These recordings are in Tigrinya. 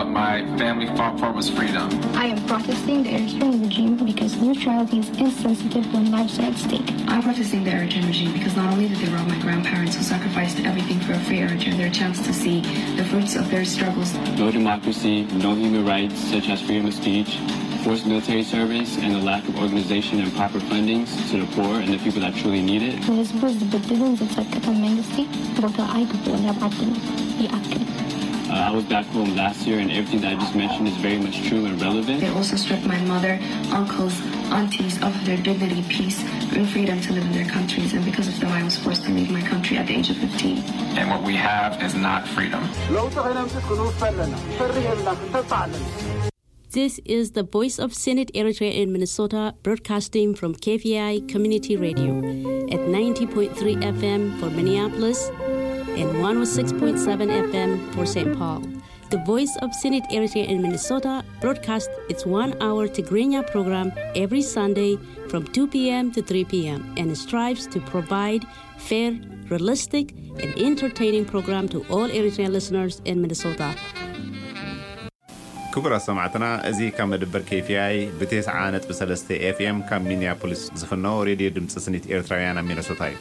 What my family fought for was freedom. I am protesting the Eritrean regime because neutrality is insensitive when lives are at stake. I'm protesting the Eritrean regime because not only did they rob my grandparents who sacrificed everything for a free Eritrea their chance to see the fruits of their struggles, No democracy, no human rights such as freedom of speech, forced military service, and the lack of organization and proper fundings to the poor and the people that truly need it. ንህዝቡ ዝብድልን ዝጸቅጥን መንግስቲ ቦታ ኣይግብኦን ኣብ ዓድና ይኣክል። Uh, I was back home last year, and everything that I just mentioned is very much true and relevant. They also stripped my mother, uncles, aunties of their dignity, peace, and freedom to live in their countries. And because of them, I was forced to leave my country at the age of fifteen. And what we have is not freedom. ለውጢ ከነምፅእ ክንውፈ ኣለና። ፈርህ የብልና፣ ክንተስፋ ኣለና። This is the Voice of Senate Eritrea in Minnesota, broadcasting from K V I Community Radio at ninety point three F M for Minneapolis and one oh six point seven F M for Saint Paul. The Voice of Senate Eritrea in Minnesota broadcasts its one-hour Tigrinya program every Sunday from two p.m. to three p.m. and strives to provide fair, realistic, and entertaining program to all Eritrean listeners in Minnesota. ክቡራት ሰማዕትና፣ እዚ ካብ መደበር K V I ብ ተስዓ ነጥቢ ሰለስተ F M ካብ ሚኒያፖሊስ ዝፍኖ ሬድዮ ድምፂ ስኒት ኤርትራውያን ኣብ ሚነሶታ እዩ።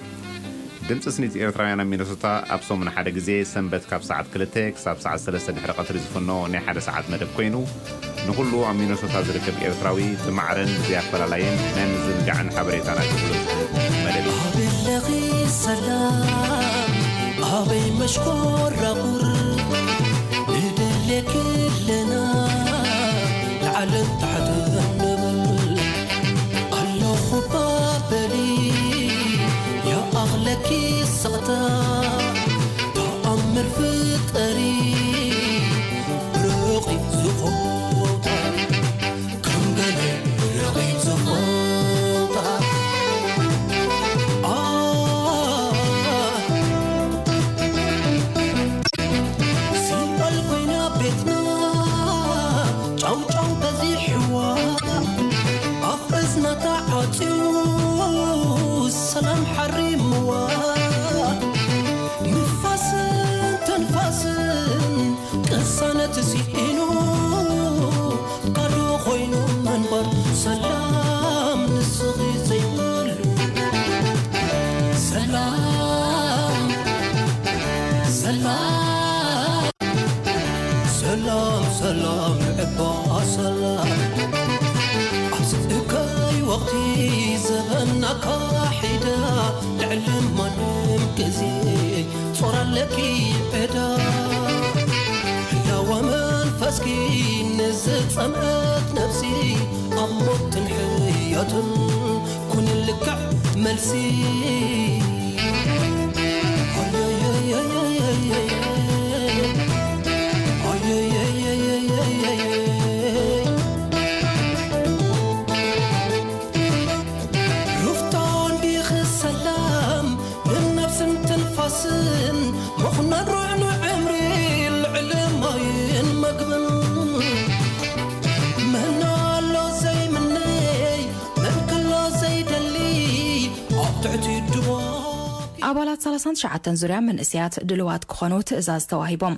ድምፂ ስኒት ኤርትራውያን ኣብ ሚነሶታ ኣብ ሰሙን ሓደ ግዜ ሰንበት ካብ ሰዓት ክልተ ክሳብ ሰዓት ሰለስተ ድሕሪ ቀትሪ ዝፍኖ ናይ ሓደ ሰዓት መደብ ኮይኑ፣ ንኹሉ ኣብ ሚነሶታ ዝርከብ ኤርትራዊ ብማዕረን ብዘይ ኣፈላላይን ናይ ምዝንጋዕን ሓበሬታን ኣገልግሎት ዝህብ መደብ እዩ። ኣበለኺ ሰላም ኣበይ መሽኮራኹር ንደልየኪ ኣለና ላዕልን ታሕትን ንብል ኣለኹ ባበሊ ይኣኽለኪ ስቕታ ተኣምር ፍጠሪ ርቒ ዝኾታ ከም ገለ ርቒ ዝኾታ ሲኦል ኮይና ቤትና ጫውጫው በዚሕዋ ኣፍ እዝና ተዓፅዩ ሰላም ሓሪምዋ ንፋስን ትንፋስን ቅሳነት ስኢኑ ባዶ ኮይኑ መንበር ሰላም ንስኺ ዘይብሉ ሰላም ሰላም ሰላም ሰላም ንዕባ ሰላም ኣብዚ እከይ ወቕቲ ዘበና ካሒዳ ልዕሊ ማንም ግዜ ጾር ኣለኪ ዕዳ ህላወ መንፈስኪ ንዝጸምአት ነፍሲ ኣብ ሞትን ሕያትን ኩኒ ልክዕ መልሲ ሩፍታ እንዲኺ ሰላም ንነብስን ትንፋስን ምኹናን ርዕኑ ዕምሪ ልዕሊ ማይን መግብን መን ኣሎ ዘይምነይ መን ከሎ ዘይደሊ ኣብ ትሕቲ ድዋ ኣባላት ሰላሳን ትሽዓተን ዙርያ መንእሰያት ድልዋት ክኾኑ ትእዛዝ ተዋሂቦም።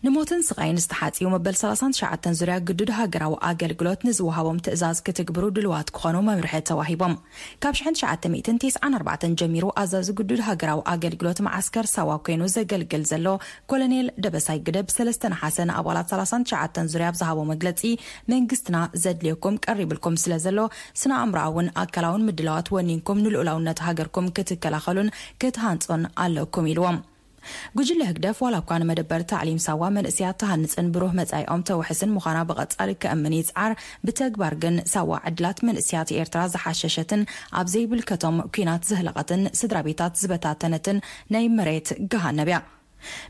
ንሞትን ስቓይን ዝተሓጽዩ መበል ሰላሳን ትሽዓተን ዙርያ ግዱድ ሃገራዊ ኣገልግሎት ንዝወሃቦም ትእዛዝ ክትግብሩ ድልዋት ክኾኑ መምርሒ ተዋሂቦም። ካብ ሽሕን ትሽዓተ ሚእትን ተስዓን ኣርባዕተን ጀሚሩ ኣዛዚ ግዱድ ሃገራዊ ኣገልግሎት መዓስከር ሳዋ ኮይኑ ዘገልግል ዘሎ ኮሎኔል ደበሳይ ግደ ብሰለስተ ነሓሰ ንኣባላት ሰላሳን ትሽዓተን ዙርያ ኣብ ዝሃቦ መግለጺ፣ መንግስትና ዘድልየኩም ቀሪብልኩም ስለ ዘሎ ስነ ኣእምሮኣውን ኣካላውን ምድላዋት ወኒንኩም ንልኡላውነት ሃገርኩም ክትከላኸሉን ክትሃንጾን ኣለኩም ኢልዎም። ጉጅለ ህግደፍ ዋላ እኳ ንመደበር ታዕሊም ሳዋ መንእስያት ትሃንጽን ብሩህ መጻኢኦም ተውሕስን ምዃና ብቐጻሊ ከእምን ይጽዓር፣ ብተግባር ግን ሳዋ ዕድላት መንእስያት ኤርትራ ዝሓሸሸትን ኣብ ዘይብልከቶም ኲናት ዘህለቐትን ስድራ ቤታት ዝበታተነትን ናይ መሬት ገሃነብ እያ።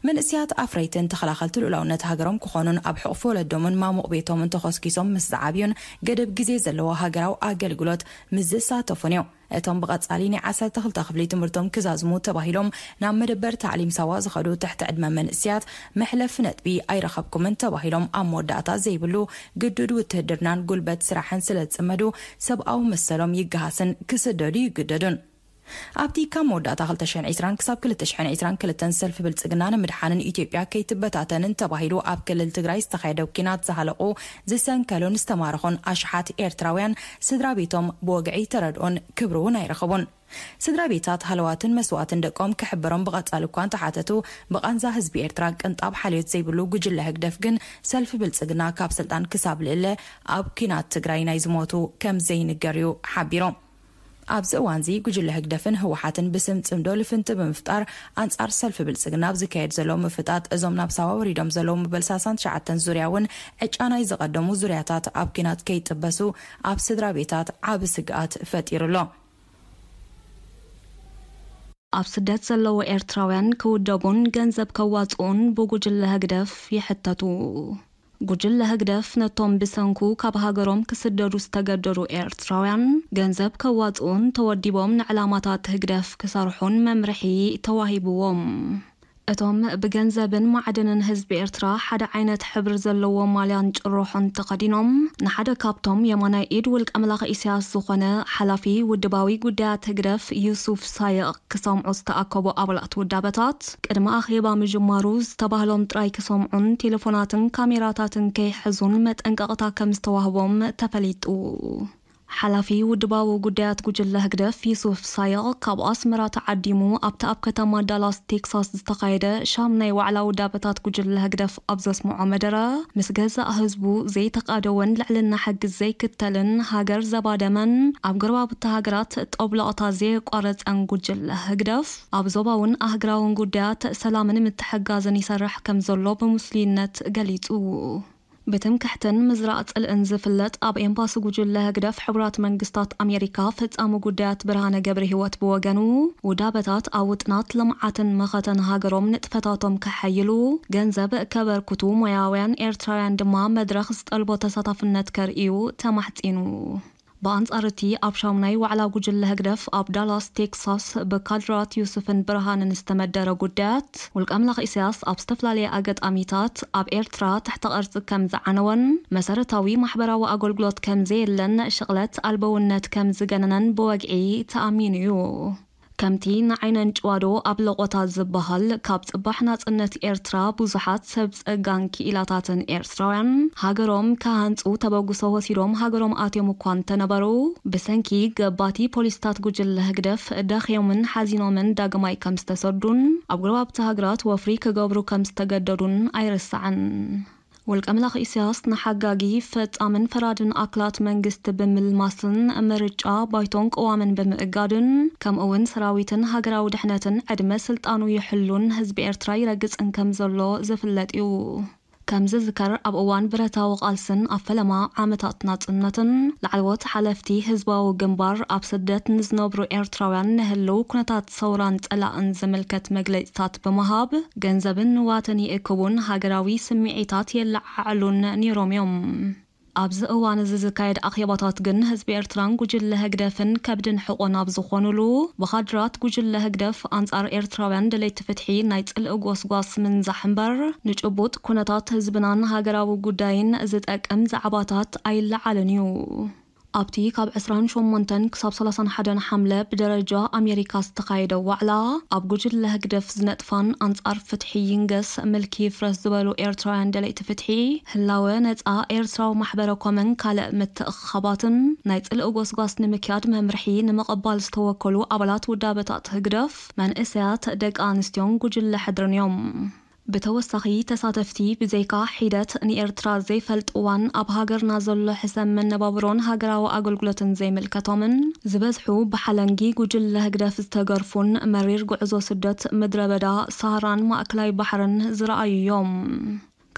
መንእስያት ኣፍረይትን ተኸላኸልቲ ልኡላውነት ሃገሮም ክኾኑን ኣብ ሕቑፊ ወለዶምን ማሙቕ ቤቶምን ተኾስኪሶም ምስ ዝዓብዩን ገደብ ግዜ ዘለዎ ሃገራዊ ኣገልግሎት ምስ ዝሳተፉን እዩ። እቶም ብቐጻሊ ናይ ዓሰርተ ክልተ ክፍሊ ትምህርቶም ክዛዝሙ ተባሂሎም ናብ መደበር ታዕሊም ሳዋ ዝኸዱ ትሕቲ ዕድመ መንእስያት መሕለፊ ነጥቢ ኣይረኸብኩምን ተባሂሎም ኣብ መወዳእታ ዘይብሉ ግዱድ ውትህድርናን ጉልበት ስራሕን ስለ ዝጽመዱ ሰብኣዊ መሰሎም ይገሃስን ክስደዱ ይግደዱን። ኣብቲ ካብ መወዳእታ ክልተ ሽሕን ዕስራን ክሳብ ክልተ ሽሕን ዕስራን ክልተን ሰልፊ ብልጽግና ንምድሓንን ኢትዮጵያ ከይትበታተንን ተባሂሉ ኣብ ክልል ትግራይ ዝተኻየደ ኲናት ዝሃለቑ፣ ዝሰንከሉን ዝተማረኹን ኣሽሓት ኤርትራውያን ስድራ ቤቶም ብወግዒ ተረድኦን ክብሪ እውን ኣይረኸቡን። ስድራ ቤታት ሃለዋትን መስዋእትን ደቆም ክሕበሮም ብቐጻሊ እኳ እንተሓተቱ፣ ብቓንዛ ህዝቢ ኤርትራ ቅንጣብ ሓልዮት ዘይብሉ ጉጅለ ህግደፍ ግን ሰልፊ ብልጽግና ካብ ስልጣን ክሳብ ልእለ ኣብ ኲናት ትግራይ ናይ ዝሞቱ ከም ዘይንገር እዩ ሓቢሮም። ኣብዚ እዋንዚ ጉጅለ ህግደፍን ህወሓትን ብስም ጽምዶ ልፍንቲ ብምፍጣር ኣንጻር ሰልፊ ብልጽግና ኣብ ዝካየድ ዘሎ ምፍጣጥ፣ እዞም ናብ ሳዋ ወሪዶም ዘለዉ መበል ሰላሳን ትሽዓተን ዙርያ እውን ዕጫ ናይ ዝቐደሙ ዙርያታት ኣብ ኲናት ከይጥበሱ ኣብ ስድራ ቤታት ዓቢ ስግኣት ፈጢሩ ኣሎ። ኣብ ስደት ዘለዉ ኤርትራውያን ክውደቡን ገንዘብ ከዋጽኡን ብጉጅለ ህግደፍ ይሕተቱ። ጉጅለ ህግደፍ ነቶም ብሰንኩ ካብ ሃገሮም ክስደዱ ዝተገደዱ ኤርትራውያን ገንዘብ ከዋጽኡን ተወዲቦም ንዕላማታት ህግደፍ ክሰርሑን መምርሒ ተዋሂብዎም። እቶም ብገንዘብን ማዕድንን ህዝቢ ኤርትራ ሓደ ዓይነት ሕብሪ ዘለዎ ማልያን ጭርሖን ተኸዲኖም ንሓደ ካብቶም የማናይ ኢድ ውልቀ መላኺ ኢሳያስ ዝኾነ ሓላፊ ውድባዊ ጉዳያት ህግደፍ ዩሱፍ ሳይቕ ክሰምዑ ዝተኣከቡ ኣባላት ውዳበታት፣ ቅድሚ ኣኼባ ምጅማሩ ዝተባህሎም ጥራይ ክሰምዑን ቴሌፎናትን ካሜራታትን ከይሕዙን መጠንቀቕታ ከም ዝተዋህቦም ተፈሊጡ። ሓላፊ ውድባዊ ጉዳያት ጉጅለ ህግደፍ ዩሱፍ ሳይቕ ካብ ኣስመራ ተዓዲሙ ኣብቲ ኣብ ከተማ ዳላስ ቴክሳስ ዝተኻየደ ሻምናይ ዋዕላ ውዳበታት ጉጅለ ህግደፍ ኣብ ዘስምዖ መደረ፣ ምስ ገዛእ ህዝቡ ዘይተቓደወን ልዕልና ሕጊ ዘይክተልን ሃገር ዘባደመን ኣብ ጎረባብቲ ሃገራት ጠብለቕታ ዘየቋረጸን ጉጅለ ህግደፍ፣ ኣብ ዞባውን ኣህግራውን ጉዳያት ሰላምን ምትሕጋዝን ይሰርሕ ከም ዘሎ ብምስሉይነት ገሊጹ። ብትምክሕትን ምዝራእ ጽልእን ዝፍለጥ ኣብ ኤምባሲ ጉጅለ ህግደፍ ሕቡራት መንግስታት ኣሜሪካ ፈጻሚ ጉዳያት ብርሃነ ገብረህይወት ብወገኑ፣ ውዳበታት ኣብ ውጥናት ልምዓትን መኸተን ሃገሮም ንጥፈታቶም ከሐይሉ ገንዘብ ከበርክቱ፣ ሞያውያን ኤርትራውያን ድማ መድረኽ ዝጠልቦ ተሳታፍነት ከርእዩ ተማሕጺኑ። ብኣንጻር እቲ ኣብ ሻሙናይ ዋዕላ ጉጅለ ህግደፍ ኣብ ዳላስ ቴክሳስ ብካድራት ዩሱፍን ብርሃንን ዝተመደረ ጉዳያት፣ ውልቀ ኣምላኽ ኢሳያስ ኣብ ዝተፈላለየ ኣጋጣሚታት ኣብ ኤርትራ ትሕተ ቅርጺ ከም ዝዓነወን መሰረታዊ ማሕበራዊ ኣገልግሎት ከም ዘየለን ሽቕለት ኣልበውነት ከም ዝገነነን ብወግዒ ተኣሚኑ እዩ። ከምቲ ንዓይነን ጭዋዶ ኣብ ለቖታ ዝበሃል፣ ካብ ጽባሕ ናጽነት ኤርትራ ብዙሓት ሰብ ጸጋን ክኢላታትን ኤርትራውያን ሃገሮም ክሃንጹ ተበግሶ ወሲዶም ሃገሮም ኣትዮም እኳ እንተነበሩ፣ ብሰንኪ ገባቲ ፖሊስታት ጉጅለ ህግደፍ ደኽዮምን ሓዚኖምን ዳግማይ ከም ዝተሰዱን ኣብ ጎረባብቲ ሃገራት ወፍሪ ክገብሩ ከም ዝተገደዱን ኣይርሳዕን። ውልቀ መላኺ ኢሳያስ ንሓጋጊ ፈጻምን ፈራድን ኣክላት መንግስቲ ብምልማስን ምርጫ ባይቶን ቅዋምን ብምእጋድን ከምኡ እውን ሰራዊትን ሃገራዊ ድሕነትን ዕድመ ስልጣኑ ይሕሉን ህዝቢ ኤርትራ ይረግጽን ከም ዘሎ ዝፍለጥ እዩ። ከም ዝዝከር ኣብ እዋን ብረታዊ ቃልስን ኣብ ፈለማ ዓመታት ናጽነትን ላዕለዎት ሓለፍቲ ህዝባዊ ግንባር ኣብ ስደት ንዝነብሩ ኤርትራውያን ንህልው ኩነታት ሰውራን ጸላእን ዝምልከት መግለጺታት ብምሃብ ገንዘብን ንዋትን ይእክቡን ሃገራዊ ስምዒታት የለዓዕሉን ነይሮም እዮም። ኣብዚ እዋን እዚ ዝካየድ ኣኼባታት ግን ህዝቢ ኤርትራን ጉጅለ ህግደፍን ከብድን ሕቆን ኣብ ዝኾኑሉ ብኻድራት ጉጅለ ህግደፍ ኣንጻር ኤርትራውያን ደለይቲ ፍትሒ ናይ ጽልኢ ጎስጓስ ምንዛሕ እምበር ንጭቡጥ ኩነታት ህዝብናን ሃገራዊ ጉዳይን ዝጠቅም ዛዕባታት ኣይለዓልን እዩ። ኣብቲ ካብ ዕስራን ሸሞንተን ክሳብ ሰላሳን ሓደን ሓምለ ብደረጃ ኣሜሪካ ዝተኻየደ ዋዕላ፣ ኣብ ጉጅለ ህግደፍ ዝነጥፋን ኣንጻር ፍትሒ ይንገስ ምልኪ ይፍረስ ዝበሉ ኤርትራውያን ደለይቲ ፍትሒ፣ ህላወ ነጻ ኤርትራዊ ማሕበረ ኮመን ካልእ ምትእኽኻባትን ናይ ጽልኢ ጎስጓስ ንምክያድ መምርሒ ንምቕባል ዝተወከሉ ኣባላት ውዳበታት ህግደፍ፣ መንእሰያት፣ ደቂ ኣንስትዮን ጉጅለ ሕድርን እዮም። ብተወሳኺ ተሳተፍቲ ብዘይካ ሒደት ንኤርትራ ዘይፈልጥዋን ኣብ ሃገርና ዘሎ ሕሰም መነባብሮን ሃገራዊ ኣገልግሎትን ዘይምልከቶምን ዝበዝሑ ብሓለንጊ ጉጅለ ህግደፍ ዝተገርፉን መሪር ጉዕዞ ስደት ምድረ በዳ ሳህራን ማእከላይ ባሕርን ዝረኣዩ እዮም።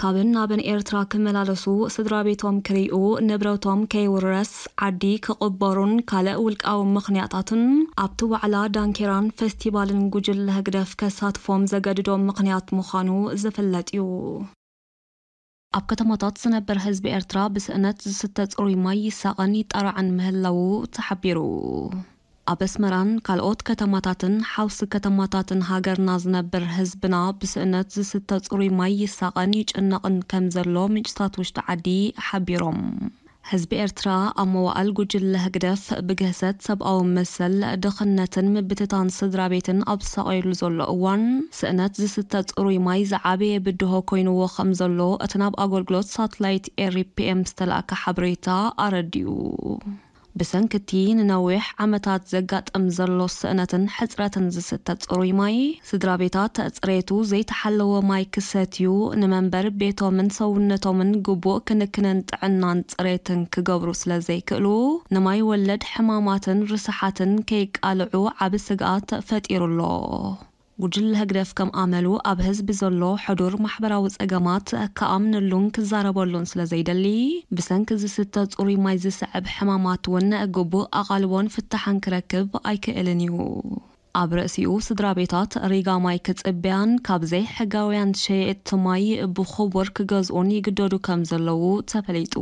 ካብን ናብን ኤርትራ ክመላለሱ፣ ስድራ ቤቶም ክርእዩ፣ ንብረቶም ከይውረስ፣ ዓዲ ክቕበሩን ካልእ ውልቃዊ ምኽንያታትን ኣብቲ ዋዕላ ዳንኬራን ፈስቲቫልን ጉጅለ ህግደፍ ከሳትፎም ዘገድዶም ምኽንያት ምዃኑ ዝፍለጥ እዩ። ኣብ ከተማታት ዝነበር ህዝቢ ኤርትራ ብስእነት ዝስተ ጽሩይ ማይ ይሳቐን ይጣራዕን ምህላዉ ተሓቢሩ። ኣብ ኣስመራን ካልኦት ከተማታትን ሓውሲ ከተማታትን ሃገርና ዝነብር ህዝብና ብስእነት ዝስተ ጽሩይ ማይ ይሳቐን ይጭነቕን ከም ዘሎ ምንጭታት ውሽጢ ዓዲ ሓቢሮም። ህዝቢ ኤርትራ ኣብ መዋእል ጉጅለ ህግደፍ ብግህሰት ሰብኣዊ መሰል፣ ድኽነትን ምብትታን ስድራ ቤትን ኣብ ዝሳቐየሉ ዘሎ እዋን፣ ስእነት ዝስተ ጽሩይ ማይ ዝዓበየ ብድሆ ኮይንዎ ከም ዘሎ እቲ ናብ ኣገልግሎት ሳትላይት ኤሪ ፒ ኤም ዝተላእከ ሓበሬታ ኣረዲኡ። ብሰንኪ እቲ ንነዊሕ ዓመታት ዘጋጥም ዘሎ ስእነትን ሕጽረትን ዝስተ ጽሩይ ማይ፣ ስድራ ቤታት ጽሬቱ ዘይተሓለወ ማይ ክሰትዩ፣ ንመንበር ቤቶምን ሰውነቶምን ግቡእ ክንክንን ጥዕናን ጽሬትን ክገብሩ ስለ ዘይክእሉ፣ ንማይ ወለድ ሕማማትን ርስሓትን ከይቃልዑ ዓቢ ስግኣት ፈጢሩ ኣሎ። ጉጅለ ህግደፍ ከም ኣመሉ ኣብ ህዝቢ ዘሎ ሕዱር ማሕበራዊ ጸገማት ክኣምነሉን ክዛረበሉን ስለ ዘይደሊ፣ ብሰንኪ ዝስተ ጽሩይ ማይ ዝስዕብ ሕማማት እውን ግቡእ ኣቓልቦን ፍታሕን ክረክብ ኣይክእልን እዩ። ኣብ ርእሲኡ ስድራ ቤታት ሪጋ ማይ ክጽበያን ካብ ዘይሕጋውያን ሸየጥቲ ማይ ብኽቡር ክገዝኡን ይግደዱ ከም ዘለዉ ተፈሊጡ።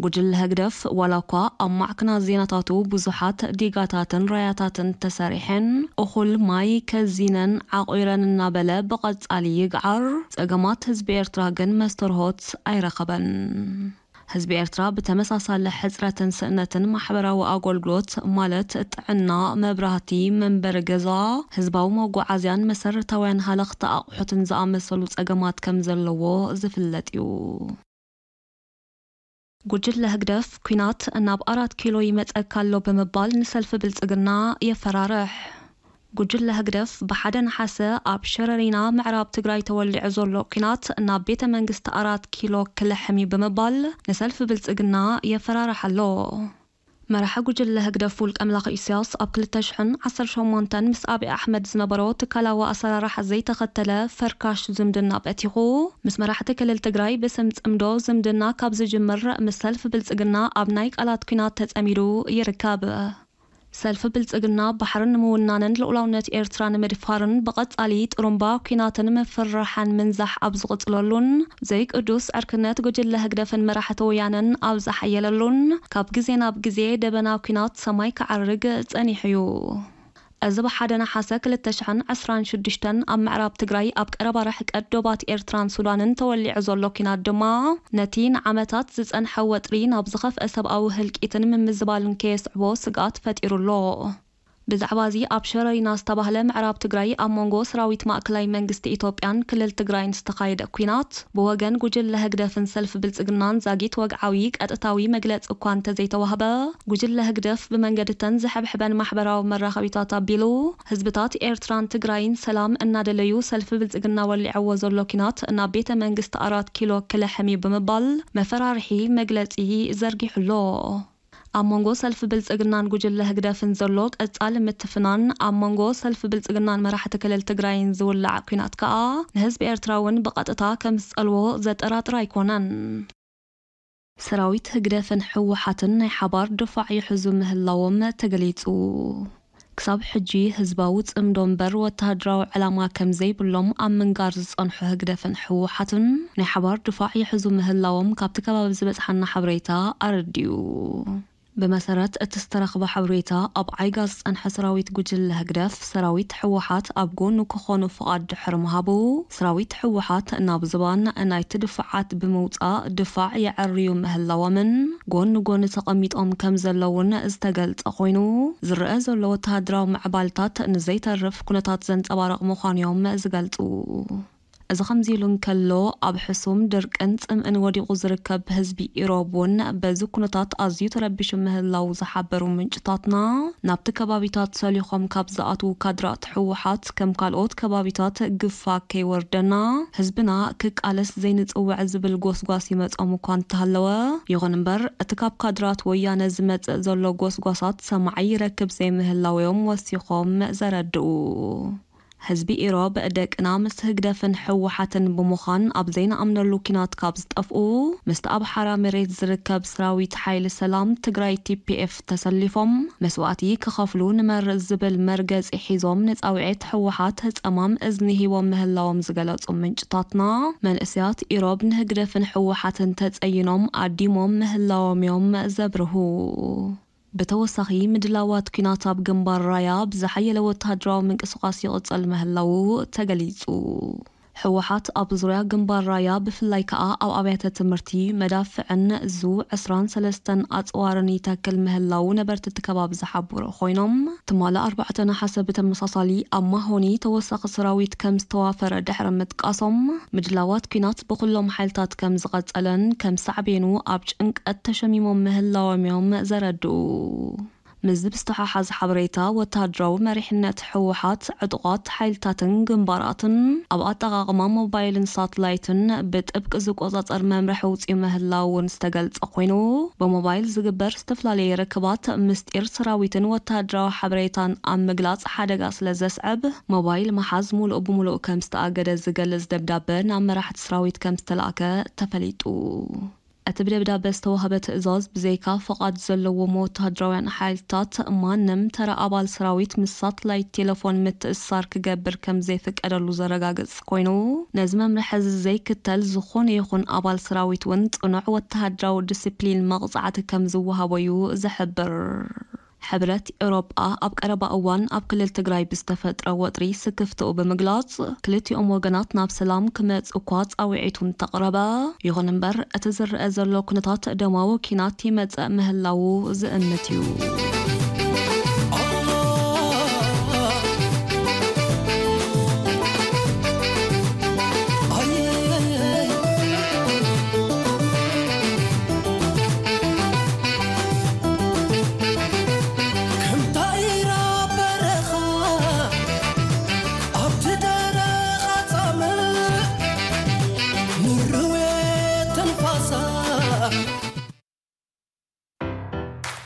ጉጅለ ህግደፍ ዋላ እኳ ኣብ ማዕክናት ዜናታቱ ብዙሓት ዲጋታትን ራያታትን ተሰሪሐን፣ እኹል ማይ ከዚነን ዓቑረን እናበለ ብቐጻሊ ይግዓር፣ ጸገማት ህዝቢ ኤርትራ ግን መስተርሆት ኣይረኸበን። ህዝቢ ኤርትራ ብተመሳሳሊ ሕጽረትን ስእነትን ማሕበራዊ ኣገልግሎት ማለት ጥዕና፣ መብራህቲ፣ መንበሪ ገዛ፣ ህዝባዊ መጓዓዝያን መሰረታውያን ሃለኽቲ ኣቑሑትን ዝኣመሰሉ ጸገማት ከም ዘለዎ ዝፍለጥ እዩ። ጉጅለ ህግደፍ ኲናት ናብ ኣራት ኪሎ ይመጸካ ኣሎ ብምባል ንሰልፊ ብልጽግና የፈራርሕ። ጉጅለ ህግደፍ ብሓደ ነሓሰ ኣብ ሸረሪና ምዕራብ ትግራይ ተወሊዑ ዘሎ ኲናት ናብ ቤተ መንግስቲ ኣራት ኪሎ ክልሕም እዩ ብምባል ንሰልፊ ብልጽግና የፈራርሕ ኣሎ። መራሒ ጉጅለ ህግደፍ ውልቀ መላኺ ኢሳያስ ኣብ ክልተ ሽሕን ዓሰርተ ሸሞንተን ምስ ኣብይ ኣሕመድ ዝነበሮ ትካላዊ ኣሰራርሓ ዘይተኸተለ ፈርካሽ ዝምድና በቲኹ፣ ምስ መራሕቲ ክልል ትግራይ ብስም ጽምዶ ዝምድና ካብ ዝጅምር ምስ ሰልፊ ብልጽግና ኣብ ናይ ቃላት ኲናት ተጸሚዱ ይርከብ። ሰልፊ ብልጽግና ባሕሪ ንምውናንን ልኡላውነት ኤርትራ ንምድፋርን ብቐጻሊ ጥሩምባ ኲናትን ምፍርራሕን ምንዛሕ ኣብ ዝቕጽለሉን፣ ዘይቅዱስ ዕርክነት ጉጅለ ህግደፍን መራሕቲ ወያነን ኣብ ዝሓየለሉን፣ ካብ ግዜ ናብ ግዜ ደበና ኲናት ሰማይ ክዓርግ ጸኒሑ እዩ። እዚ ብሓደ ነሓሰ ክልተ ሽሕን ዕስራን ሽዱሽተን ኣብ ምዕራብ ትግራይ ኣብ ቀረባ ርሕቀት ዶባት ኤርትራን ሱዳንን ተወሊዑ ዘሎ ኲናት ድማ፣ ነቲ ንዓመታት ዝጸንሐ ወጥሪ ናብ ዝኸፍአ ሰብኣዊ ህልቂትን ምምዝባልን ከየስዕቦ ስግኣት ፈጢሩ ኣሎ። ብዛዕባ እዚ ኣብ ሸረሪና ዝተባህለ ምዕራብ ትግራይ ኣብ መንጎ ሰራዊት ማእከላይ መንግስቲ ኢትዮጵያን ክልል ትግራይን ዝተኻየደ ኲናት ብወገን ጉጅለ ህግደፍን ሰልፊ ብልጽግናን ዛጊት ወግዓዊ ቀጥታዊ መግለጺ እኳ እንተዘይተዋህበ፣ ጉጅለ ህግደፍ ብመንገድተን ዝሕብሕበን ማሕበራዊ መራኸቢታት ኣቢሉ፣ ህዝብታት ኤርትራን ትግራይን ሰላም እናደለዩ ሰልፊ ብልጽግና ወሊዕዎ ዘሎ ኲናት ናብ ቤተ መንግስቲ ኣራት ኪሎ ክልሕም እዩ ብምባል መፈራርሒ መግለጺ ዘርጊሑ ኣሎ። ኣብ መንጎ ሰልፊ ብልጽግናን ጉጅለ ህግደፍን ዘሎ ቀጻሊ ምትፍናን፣ ኣብ መንጎ ሰልፊ ብልጽግናን መራሕቲ ክልል ትግራይን ዝውላዕ ኲናት ከኣ ንህዝቢ ኤርትራ እውን ብቐጥታ ከም ዝጸልዎ ዘጠራጥር ኣይኮነን። ሰራዊት ህግደፍን ህወሓትን ናይ ሓባር ድፋዕ ይሕዙ ምህላዎም ተገሊጹ። ክሳብ ሕጂ ህዝባዊ ጽምዶ እምበር ወተሃደራዊ ዕላማ ከም ዘይብሎም ኣብ ምንጋር ዝጸንሑ ህግደፍን ህወሓትን ናይ ሓባር ድፋዕ ይሕዙ ምህላዎም ካብቲ ከባቢ ዝበጽሓና ሓበሬታ ኣረዲኡ። ብመሰረት እቲ ዝተረኽበ ሓበሬታ፣ ኣብ ዓይጋ ዝጸንሐ ሰራዊት ጉጅለ ህግደፍ፣ ሰራዊት ህወሓት ኣብ ጎኑ ክኾኑ ፍቓድ ድሕሪ ምሃቡ፣ ሰራዊት ህወሓት ናብ ዝባን ናይቲ ድፋዓት ብምውጻእ ድፋዕ የዐርዩ ምህላዎምን ጎኒ ጎኒ ተቐሚጦም ከም ዘለውን ዝተገልጸ ኮይኑ፣ ዝረአ ዘሎ ወተሃደራዊ ምዕባልታት ንዘይተርፍ ኩነታት ዘንጸባርቕ ምዃኑ እዮም ዝገልጹ። እዚ ከምዚ ኢሉ እንከሎ፣ ኣብ ሕሱም ድርቅን ጽምእን ወዲቑ ዝርከብ ህዝቢ ኢሮብ እውን በዚ ኩነታት ኣዝዩ ተረቢሹ ምህላው ዝሓበሩ ምንጭታትና፣ ናብቲ ከባቢታት ሰሊኾም ካብ ዝኣትዉ ካድራት ህወሓት ከም ካልኦት ከባቢታት ግፋ ከይወርደና፣ ህዝብና ክቃለስ ዘይንጽውዕ ዝብል ጎስጓስ ይመጾም እኳ እንተሃለወ፣ ይኹን እምበር እቲ ካብ ካድራት ወያነ ዝመጽእ ዘሎ ጎስጓሳት ሰማዒ ይረክብ ዘይምህላው እዮም ወሲኾም ዘረድኡ። ህዝቢ ኢሮብ ደቅና ምስ ህግደፍን ህወሓትን ብምዃን ኣብ ዘይንኣምነሉ ኲናት ካብ ዝጠፍኡ፣ ምስቲ ኣብ ሓራ መሬት ዝርከብ ሰራዊት ሓይሊ ሰላም ትግራይ ቲ ፒ ኤፍ ተሰሊፎም መስዋእቲ ክኸፍሉ ንመርጽ ዝብል መርገጺ ሒዞም ንጻውዒት ህወሓት ጸማም እዝኒ ሂቦም ምህላዎም ዝገለጹ ምንጭታትና፣ መንእሰያት ኢሮብ ንህግደፍን ህወሓትን ተጸይኖም ኣዲሞም ምህላዎም እዮም ዘብርሁ። ብተወሳኺ፣ ምድላዋት ኲናት ኣብ ግንባር ራያ ብዝሓየለ ወተሃደራዊ ምንቅስቓስ ይቕጸል ምህላዉ ተገሊጹ። ህወሓት ኣብ ዙርያ ግንባር ራያ፣ ብፍላይ ከኣ ኣብ ኣብያተ ትምህርቲ፣ መዳፍዕን ዙ ዕስራን ሰለስተን ኣጽዋርን ይተክል ምህላዉ ነበርቲ እቲ ከባቢ ዝሓብሩ ኮይኖም፣ ትማሊ ኣርባዕተ ነሓሰ ብተመሳሳሊ ኣብ ማሆኒ ተወሳኺ ሰራዊት ከም ዝተዋፈረ ድሕሪ ምጥቃሶም፣ ምድላዋት ኲናት ብኹሎም ሓይልታት ከም ዝቐጸለን ከም ሳዕቤኑ ኣብ ጭንቀት ተሸሚሞም ምህላዎም እዮም ዘረድኡ። ምስዚ ብዝተሓሓዝ ሓበሬታ፣ ወተሃደራዊ መሪሕነት ህወሓት ዕጡቓት ሓይልታትን ግንባራትን ኣብ ኣጠቓቕማ ሞባይልን ሳትላይትን ብጥብቂ ዝቆጻጸር መምርሒ ኣውጺኡ ምህላው እውን ዝተገልጸ ኮይኑ፣ ብሞባይል ዝግበር ዝተፈላለየ ርክባት ምስጢር ሰራዊትን ወተሃደራዊ ሓበሬታን ኣብ ምግላጽ ሓደጋ ስለ ዘስዕብ፣ ሞባይል ምሓዝ ሙሉእ ብሙሉእ ከም ዝተኣገደ ዝገልጽ ደብዳበ ናብ መራሕቲ ሰራዊት ከም ዝተላእከ ተፈሊጡ። እቲ ብደብዳበ ዝተዋህበ ትእዛዝ፣ ብዘይካ ፍቓድ ዘለዎም ወተሃደራውያን ሓይልታት፣ ማንም ተራ ኣባል ሰራዊት ምስ ሳትላይት ቴሌፎን ምትእስሳር ክገብር ከም ዘይፍቀደሉ ዘረጋግጽ ኮይኑ፣ ነዚ መምርሒ እዚ ዘይክተል ዝኾነ ይኹን ኣባል ሰራዊት እውን ጽኑዕ ወተሃደራዊ ዲሲፕሊን መቕጻዕቲ ከም ዝወሃቦ እዩ ዝሕብር። ሕብረት ኤውሮጳ ኣብ ቀረባ እዋን ኣብ ክልል ትግራይ ብዝተፈጥረ ወጥሪ ስክፍትኡ ብምግላጽ፣ ክልቲኦም ወገናት ናብ ሰላም ክመጽኡ እኳ ጻውዒቱ እንተቕረበ፣ ይኹን እምበር፣ እቲ ዝረአ ዘሎ ኩነታት ደማዊ ኲናት ይመጽእ ምህላዉ ዝእምት እዩ።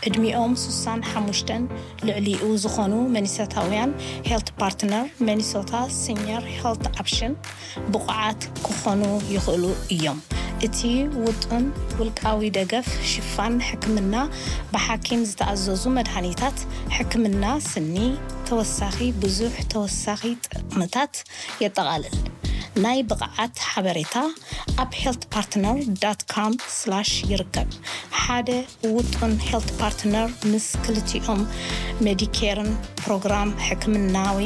ዕድሚኦም ሱሳን ሓሙሽተን ልዕሊኡ ዝኾኑ መኒሶታውያን፣ ሄልት ፓርትነር መኒሶታ ሲኒየር ሄልት ኣፕሽን ብቑዓት ክኾኑ ይኽእሉ እዮም። እቲ ውጡን ውልቃዊ ደገፍ ሽፋን ሕክምና፣ ብሓኪም ዝተኣዘዙ መድሃኒታት፣ ሕክምና ስኒ፣ ተወሳኺ ብዙሕ ተወሳኺ ጥቕምታት የጠቓልል። ናይ ብቕዓት ሓበሬታ ኣብ ሄልት ፓርትነር ዳት ካም ስላሽ ይርከብ። ሓደ ውጡን ሄልት ፓርትነር ምስ ክልቲኦም ሜዲኬርን ፕሮግራም ሕክምናዊ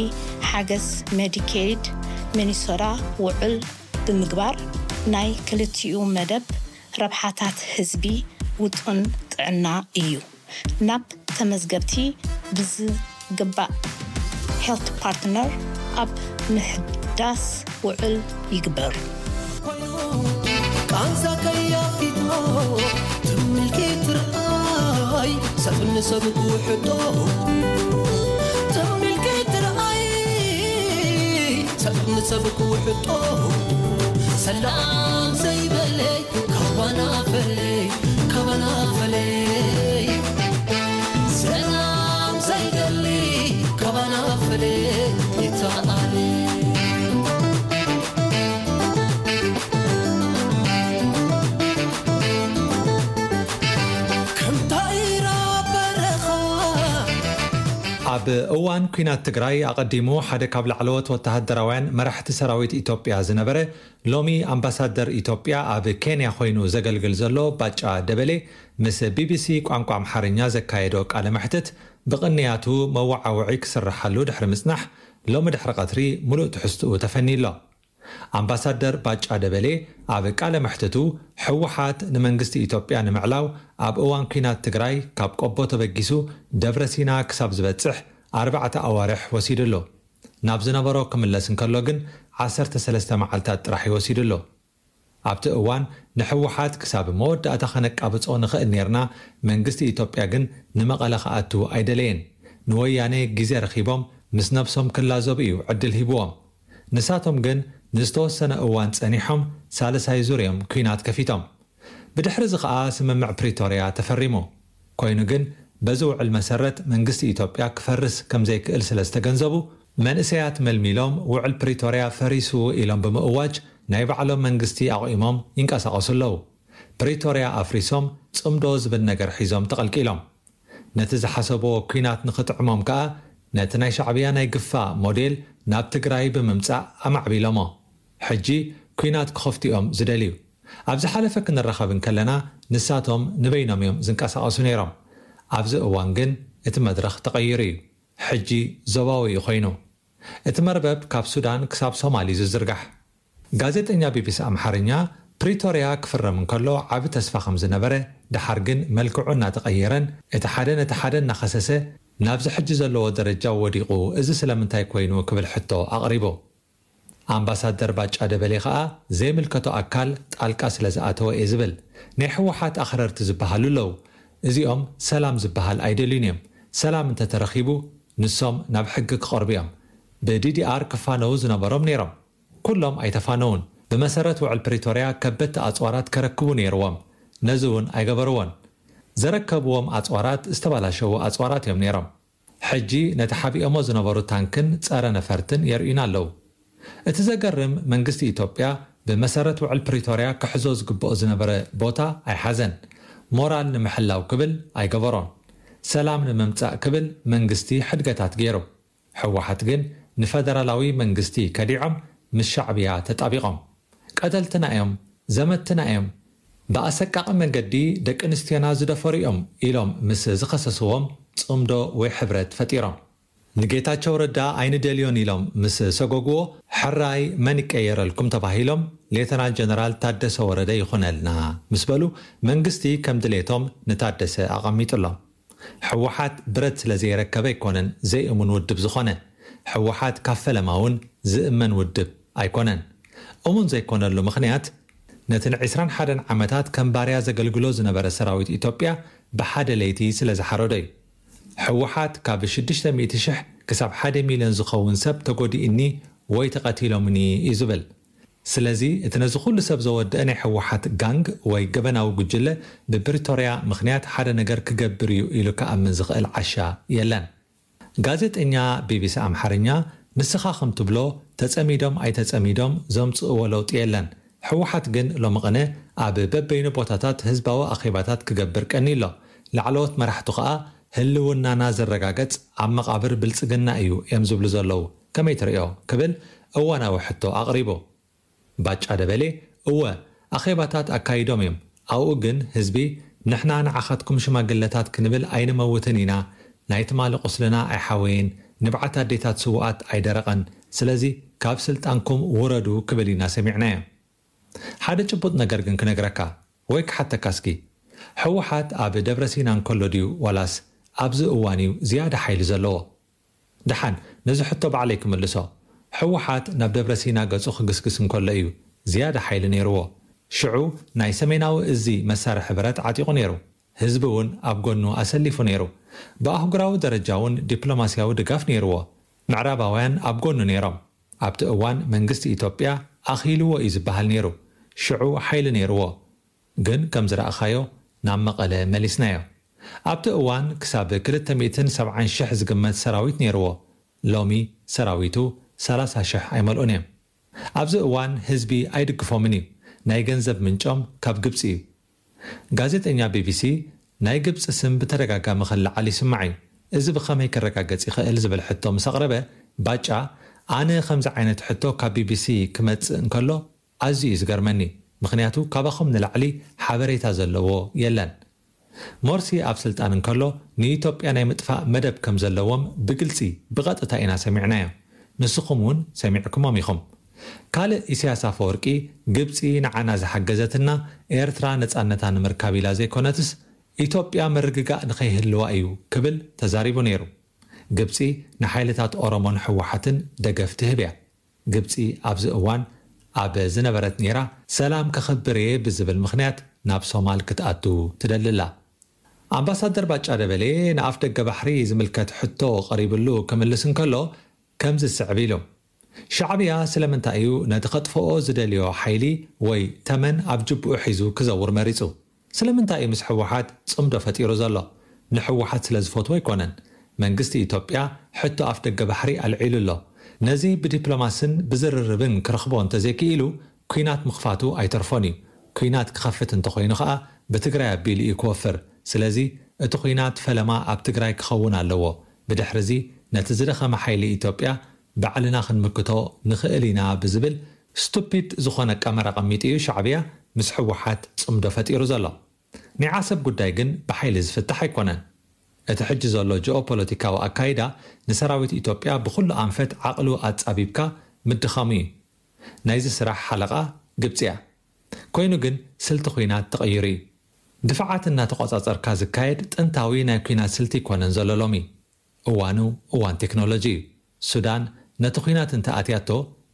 ሓገዝ ሜዲኬድ ሚኒሶታ ውዕል ብምግባር ናይ ክልቲኡ መደብ ረብሓታት ህዝቢ ውጡን ጥዕና እዩ። ናብ ተመዝገብቲ ብዝግባእ ሄልት ፓርትነር ኣብ ምሕዳስ ውዕል ይግበር። ቃንዛ ከያፊቶ ትምልኪ ትርኣይ ሰብ ንሰብ ክውሕጦ ትምልኪ ትርኣይ ሰብ ንሰብ ክውሕጦ ሰላም ዘይበለይ ካባና ፈለይ ካባና ፈለይ ሰላም ዘይደሊ ካባና ፈለይ ይተኣለ ከምታ ኢራ በረኻ ኣብ እዋን ኲናት ትግራይ ኣቐዲሙ ሓደ ካብ ላዕለዎት ወተሃደራውያን መራሕቲ ሰራዊት ኢትዮጵያ ዝነበረ ሎሚ ኣምባሳደር ኢትዮጵያ ኣብ ኬንያ ኮይኑ ዘገልግል ዘሎ ባጫ ደበሌ ምስ ቢቢሲ ቋንቋ ኣምሓርኛ ዘካየዶ ቃለ መሕትት ብቕንያቱ መወዓውዒ ክስርሓሉ ድሕሪ ምጽናሕ ሎሚ ድሕሪ ቀትሪ ሙሉእ ትሕዝትኡ ተፈንዩ ኣሎ። ኣምባሳደር ባጫ ደበሌ ኣብ ቃለ መሕትቱ ህወሓት ንመንግስቲ ኢትዮጵያ ንምዕላው ኣብ እዋን ኲናት ትግራይ ካብ ቆቦ ተበጊሱ ደብረ ሲና ክሳብ ዝበጽሕ ኣርባዕተ ኣዋርሕ ወሲዱ ኣሎ። ናብ ዝነበሮ ክምለስ እንከሎ ግን ዓሰርተ ሰለስተ መዓልታት ጥራሕ እዩ ወሲዱ ኣሎ። ኣብቲ እዋን ንህወሓት ክሳብ መወዳእታ ከነቃብጾ ንኽእል ኔርና፣ መንግስቲ ኢትዮጵያ ግን ንመቐለ ክኣቱ ኣይደለየን። ንወያነ ግዜ ረኺቦም ምስ ነብሶም ክላዘቡ እዩ ዕድል ሂብዎም። ንሳቶም ግን ንዝተወሰነ እዋን ጸኒሖም ሳልሳይ ዙር እዮም ኲናት ከፊቶም። ብድሕሪ እዚ ኸኣ ስምምዕ ፕሪቶርያ ተፈሪሙ። ኮይኑ ግን በዚ ውዕል መሰረት መንግስቲ ኢትዮጵያ ክፈርስ ከም ዘይክእል ስለ ዝተገንዘቡ መንእሰያት መልሚሎም ውዕል ፕሪቶርያ ፈሪሱ ኢሎም ብምእዋጅ ናይ ባዕሎም መንግስቲ ኣቑሞም ይንቀሳቐሱ ኣለዉ። ፕሪቶርያ ኣፍሪሶም ጽምዶ ዝብል ነገር ሒዞም ተቐልቂሎም። ነቲ ዝሓሰብዎ ኲናት ንኽጥዕሞም ከኣ ነቲ ናይ ሻዕብያ ናይ ግፋ ሞዴል ናብ ትግራይ ብምምጻእ ኣማዕቢሎሞ። ሕጂ ኲናት ክኸፍቱ እዮም ዝደልዩ። ኣብ ዝሓለፈ ክንራኸብ እንከለና ንሳቶም ንበይኖም እዮም ዝንቀሳቐሱ ነይሮም። ኣብዚ እዋን ግን እቲ መድረኽ ተቐይሩ እዩ። ሕጂ ዞባዊ እዩ ኮይኑ። እቲ መርበብ ካብ ሱዳን ክሳብ ሶማል እዩ ዝዝርጋሕ። ጋዜጠኛ ቢቢሲ ኣምሓርኛ፣ ፕሪቶርያ ክፍረም እንከሎ ዓቢ ተስፋ ከም ዝነበረ፣ ደሓር ግን መልክዑ እናተቐየረን እቲ ሓደ ነቲ ሓደ እናኸሰሰ ናብዚ ሕጂ ዘለዎ ደረጃ ወዲቑ፣ እዚ ስለምንታይ ኮይኑ ክብል ሕቶ ኣቕሪቡ። ኣምባሳደር ባጫ ደበሌ ከኣ ዘይምልከቶ ኣካል ጣልቃ ስለ ዝኣተወ እየ ዝብል። ናይ ህወሓት ኣኽረርቲ ዝበሃሉ ኣለዉ። እዚኦም ሰላም ዝበሃል ኣይደልዩን እዮም። ሰላም እንተተረኺቡ ንሶም ናብ ሕጊ ክቐርቡ እዮም። ብዲዲኣር ክፋነዉ ዝነበሮም ነይሮም። ኩሎም ኣይተፋነዉን። ብመሰረት ውዕል ፕሪቶርያ ከበድቲ ኣጽዋራት ከረክቡ ነይርዎም። ነዚ እውን ኣይገበርዎን። ዘረከብዎም ኣጽዋራት ዝተባላሸዉ ኣጽዋራት እዮም ነይሮም። ሕጂ ነቲ ሓቢኦሞ ዝነበሩ ታንክን ጸረ ነፈርትን የርእዩና ኣለዉ። እቲ ዘገርም መንግስቲ ኢትዮጵያ ብመሰረት ውዕል ፕሪቶርያ ክሕዞ ዝግብኦ ዝነበረ ቦታ ኣይሓዘን። ሞራል ንምሕላው ክብል ኣይገበሮን። ሰላም ንምምጻእ ክብል መንግስቲ ሕድገታት ገይሩ። ህወሓት ግን ንፈደራላዊ መንግስቲ ከዲዖም ምስ ሻዕብያ ተጣቢቖም። ቀተልትና እዮም፣ ዘመትና እዮም፣ ብኣሰቃቒ መንገዲ ደቂ ኣንስትዮና ዝደፈሩ እዮም ኢሎም ምስ ዝኸሰስዎም ጽምዶ ወይ ሕብረት ፈጢሮም። ንጌታቸው ረዳ ኣይንደልዮን ኢሎም ምስ ሰጎግዎ፣ ሕራይ መን ይቀየረልኩም ተባሂሎም ሌተናል ጀነራል ታደሰ ወረደ ይኹነልና ምስ በሉ፣ መንግስቲ ከም ድሌቶም ንታደሰ ኣቐሚጡሎም። ህወሓት ብረት ስለ ዘይረከበ ኣይኮነን ዘይእሙን ውድብ ዝኾነ። ህወሓት ካብ ፈለማ እውን ዝእመን ውድብ ኣይኮነን። እሙን ዘይኮነሉ ምኽንያት፣ ነቲ ን ዕስራን ሓደን ዓመታት ከም ባርያ ዘገልግሎ ዝነበረ ሰራዊት ኢትዮጵያ ብሓደ ለይቲ ስለ ዝሓረዶ እዩ። ህወሓት ካብ ሽዱሽተ ሚእቲ ሽሕ ክሳብ ሓደ ሚልዮን ዝኸውን ሰብ ተጎዲእኒ ወይ ተቐቲሎምኒ እዩ ዝብል። ስለዚ እቲ ነዚ ኩሉ ሰብ ዘወደአ ናይ ህወሓት ጋንግ ወይ ገበናዊ ጉጅለ ብፕሪቶርያ ምኽንያት ሓደ ነገር ክገብር እዩ ኢሉ ክኣምን ዝኽእል ዓሻ የለን። ጋዜጠኛ ቢቢሲ ኣምሓርኛ፣ ንስኻ ከም ትብሎ ተጸሚዶም ኣይተጸሚዶም ዘምጽእዎ ለውጢ የለን። ህወሓት ግን ሎሚ ቅነ ኣብ በበይኑ ቦታታት ህዝባዊ ኣኼባታት ክገብር ቀኒ ኣሎ። ላዕለዎት መራሕቱ ከኣ ህልውናና ዘረጋገጽ ኣብ መቓብር ብልጽግና እዩ እዮም ዝብሉ ዘለዉ። ከመይ ትርእዮ? ክብል እዋናዊ ሕቶ ኣቕሪቡ። ባጫ ደበሌ፣ እወ፣ ኣኼባታት ኣካይዶም እዮም። ኣብኡ ግን ህዝቢ፣ ንሕና ንዓኻትኩም ሽማግለታት ክንብል ኣይንመውትን ኢና፣ ናይ ትማሊ ቁስልና ኣይሓወየን፣ ንብዓት ኣዴታት ስዉኣት ኣይደረቐን፣ ስለዚ ካብ ስልጣንኩም ውረዱ ክብል ኢና ሰሚዕናዮ። ሓደ ጭቡጥ ነገር ግን ክነግረካ ወይ ክሓተካ እስኪ፣ ህወሓት ኣብ ደብረ ሲና እንከሎ ድዩ ዋላስ ኣብዚ እዋን እዩ ዝያዳ ሓይሊ ዘለዎ? ደሓን፣ ነዚ ሕቶ ባዕለይ ክምልሶ። ህወሓት ናብ ደብረ ሲና ገጹ ክግስግስ እንከሎ እዩ ዝያዳ ሓይሊ ነይርዎ። ሽዑ ናይ ሰሜናዊ እዚ መሳርሒ ብረት ዓጢቑ ነይሩ። ህዝቢ እውን ኣብ ጎኑ ኣሰሊፉ ነይሩ። ብኣህጉራዊ ደረጃ እውን ዲፕሎማስያዊ ድጋፍ ነይርዎ። ምዕራባውያን ኣብ ጎኑ ነይሮም። ኣብቲ እዋን መንግስቲ ኢትዮጵያ ኣኺልዎ እዩ ዝበሃል ነይሩ። ሽዑ ሓይሊ ነይርዎ። ግን ከም ዝረኣኻዮ ናብ መቐለ መሊስናዮ። ኣብቲ እዋን ክሳብ ክልተ ሚእትን ሰብዓን ሽሕ ዝግመት ሰራዊት ነይርዎ። ሎሚ ሰራዊቱ ሰላሳ ሽሕ ኣይመልኡን እዮም። ኣብዚ እዋን ህዝቢ ኣይድግፎምን እዩ። ናይ ገንዘብ ምንጮም ካብ ግብጺ እዩ። ጋዜጠኛ ቢቢሲ፣ ናይ ግብጺ ስም ብተደጋጋሚ ክለዓል ይስማዕ እዩ። እዚ ብኸመይ ክረጋገጽ ይኽእል ዝብል ሕቶ ምስ ኣቕረበ፣ ባጫ፣ ኣነ ከምዚ ዓይነት ሕቶ ካብ ቢቢሲ ክመጽእ እንከሎ ኣዝዩ እዩ ዝገርመኒ። ምኽንያቱ ካባኹም ንላዕሊ ሓበሬታ ዘለዎ የለን። ሞርሲ ኣብ ስልጣን እንከሎ ንኢትዮጵያ ናይ ምጥፋእ መደብ ከም ዘለዎም ብግልጺ ብቐጥታ ኢና ሰሚዕናዮ። ንስኹም እውን ሰሚዕኩሞም ኢኹም። ካልእ ኢሳያስ ኣፈወርቂ፣ ግብጺ ንዓና ዝሓገዘትና ኤርትራ ነጻነታ ንምርካብ ኢላ ዘይኮነትስ ኢትዮጵያ ምርግጋእ ንኸይህልዋ እዩ ክብል ተዛሪቡ ነይሩ። ግብጺ ንሓይልታት ኦሮሞን ህወሓትን ደገፍ ትህብ እያ። ግብጺ ኣብዚ እዋን ኣብ ዝነበረት ኔራ ሰላም ከኽብር እየ ብዝብል ምኽንያት ናብ ሶማል ክትኣቱ ትደሊ ኣላ። ኣምባሳደር ባጫ ደበሌ ንኣፍ ደገ ባሕሪ ዝምልከት ሕቶ ቀሪብሉ ክምልስ እንከሎ ከምዚ ዝስዕብ ኢሉ። ሻዕብያ ስለምንታይ እዩ ነቲ ከጥፍኦ ዝደልዮ ሓይሊ ወይ ተመን ኣብ ጅብኡ ሒዙ ክዘውር መሪጹ? ስለምንታይ እዩ ምስ ህወሓት ጽምዶ ፈጢሩ ዘሎ? ንህወሓት ስለ ዝፈትዎ ኣይኮነን። መንግስቲ ኢትዮጵያ ሕቶ ኣፍ ደገ ባሕሪ ኣልዒሉ ኣሎ። ነዚ ብዲፕሎማስን ብዝርርብን ክረኽቦ እንተዘይክኢሉ፣ ኲናት ምኽፋቱ ኣይተርፎን እዩ። ኲናት ክኸፍት እንተኾይኑ ኸኣ ብትግራይ ኣቢሉ እዩ ክወፍር። ስለዚ እቲ ኲናት ፈለማ ኣብ ትግራይ ክኸውን ኣለዎ። ብድሕሪ እዚ ነቲ ዝደኸመ ሓይሊ ኢትዮጵያ ባዕልና ክንምክቶ ንኽእል ኢና ብዝብል ስቱፒድ ዝኾነ ቀመር ኣቐሚጡ እዩ ሻዕብያ ምስ ህወሓት ጽምዶ ፈጢሩ ዘሎ። ናይ ዓሰብ ጉዳይ ግን ብሓይሊ ዝፍታሕ ኣይኮነን። እቲ ሕጂ ዘሎ ጂኦፖለቲካዊ ኣካይዳ ንሰራዊት ኢትዮጵያ ብኹሉ ኣንፈት ዓቕሉ ኣጻቢብካ ምድኻሙ እዩ። ናይዚ ስራሕ ሓለቓ ግብጺ እያ። ኮይኑ ግን ስልቲ ኲናት ተቐይሩ እዩ። ድፋዓት እናተቖጻጸርካ ዝካየድ ጥንታዊ ናይ ኲናት ስልቲ ኣይኮነን ዘሎ ሎሚ። እዋኑ እዋን ቴክኖሎጂ እዩ። ሱዳን ነቲ ኲናት እንተኣትያቶ፣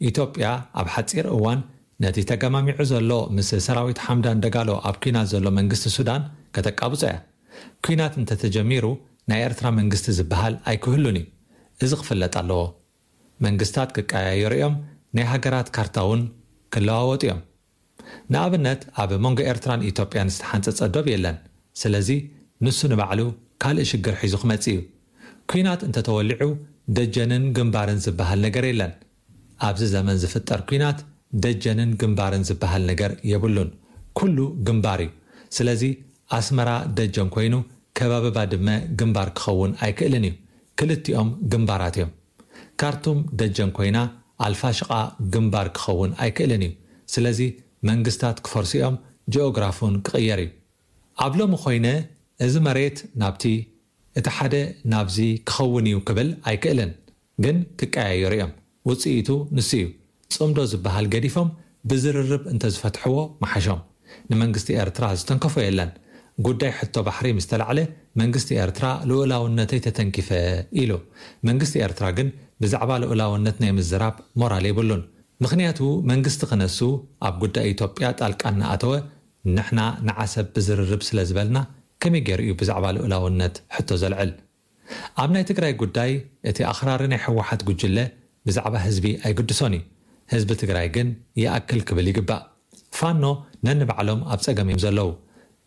ኢትዮጵያ ኣብ ሓጺር እዋን ነቲ ተገማሚዑ ዘሎ ምስ ሰራዊት ሓምዳን ደጋሎ ኣብ ኲናት ዘሎ መንግስቲ ሱዳን ከተቃብጾ እያ። ኲናት እንተተጀሚሩ ናይ ኤርትራ መንግስቲ ዝበሃል ኣይክህሉን እዩ። እዚ ክፍለጥ ኣለዎ። መንግስታት ክቀያየሩ እዮም፣ ናይ ሃገራት ካርታ እውን ክለዋወጡ እዮም። ንኣብነት ኣብ መንጎ ኤርትራን ኢትዮጵያን ዝተሓንጸጸ ዶብ የለን። ስለዚ ንሱ ንባዕሉ ካልእ ሽግር ሒዙ ክመጽእ እዩ። ኲናት እንተተወሊዑ ደጀንን ግንባርን ዝበሃል ነገር የለን። ኣብዚ ዘመን ዝፍጠር ኲናት ደጀንን ግንባርን ዝበሃል ነገር የብሉን። ኩሉ ግንባር እዩ። ስለዚ ኣስመራ ደጀን ኮይኑ ከባቢ ባድመ ግንባር ክኸውን ኣይክእልን እዩ። ክልቲኦም ግንባራት እዮም። ካርቱም ደጀን ኮይና ኣልፋሽቓ ግንባር ክኸውን ኣይክእልን እዩ። ስለዚ መንግስታት ክፈርሱ እዮም፣ ጂኦግራፉን ክቕየር እዩ። ኣብ ሎሚ ኮይነ እዚ መሬት ናብቲ፣ እቲ ሓደ ናብዚ ክኸውን እዩ ክብል ኣይክእልን፣ ግን ክቀያየሩ እዮም። ውጽኢቱ ንሱ እዩ። ጽምዶ ዝበሃል ገዲፎም ብዝርርብ እንተዝፈትሕዎ ምሓሾም። ንመንግስቲ ኤርትራ ዝተንከፎ የለን። ጉዳይ ሕቶ ባሕሪ ምስ ተላዕለ መንግስቲ ኤርትራ ልኡላውነተይ ተተንኪፈ ኢሉ። መንግስቲ ኤርትራ ግን ብዛዕባ ልኡላውነት ናይ ምዝራብ ሞራል የብሉን። ምኽንያቱ መንግስቲ ክነሱ ኣብ ጉዳይ ኢትዮጵያ ጣልቃ እናኣተወ ንሕና ንዓሰብ ብዝርርብ ስለ ዝበልና ከመይ ገይሩ እዩ ብዛዕባ ልኡላውነት ሕቶ ዘልዕል? ኣብ ናይ ትግራይ ጉዳይ እቲ ኣኽራሪ ናይ ህወሓት ጉጅለ ብዛዕባ ህዝቢ ኣይግድሶን እዩ። ህዝቢ ትግራይ ግን ይኣክል ክብል ይግባእ። ፋኖ ነንባዕሎም ኣብ ጸገም እዮም ዘለዉ።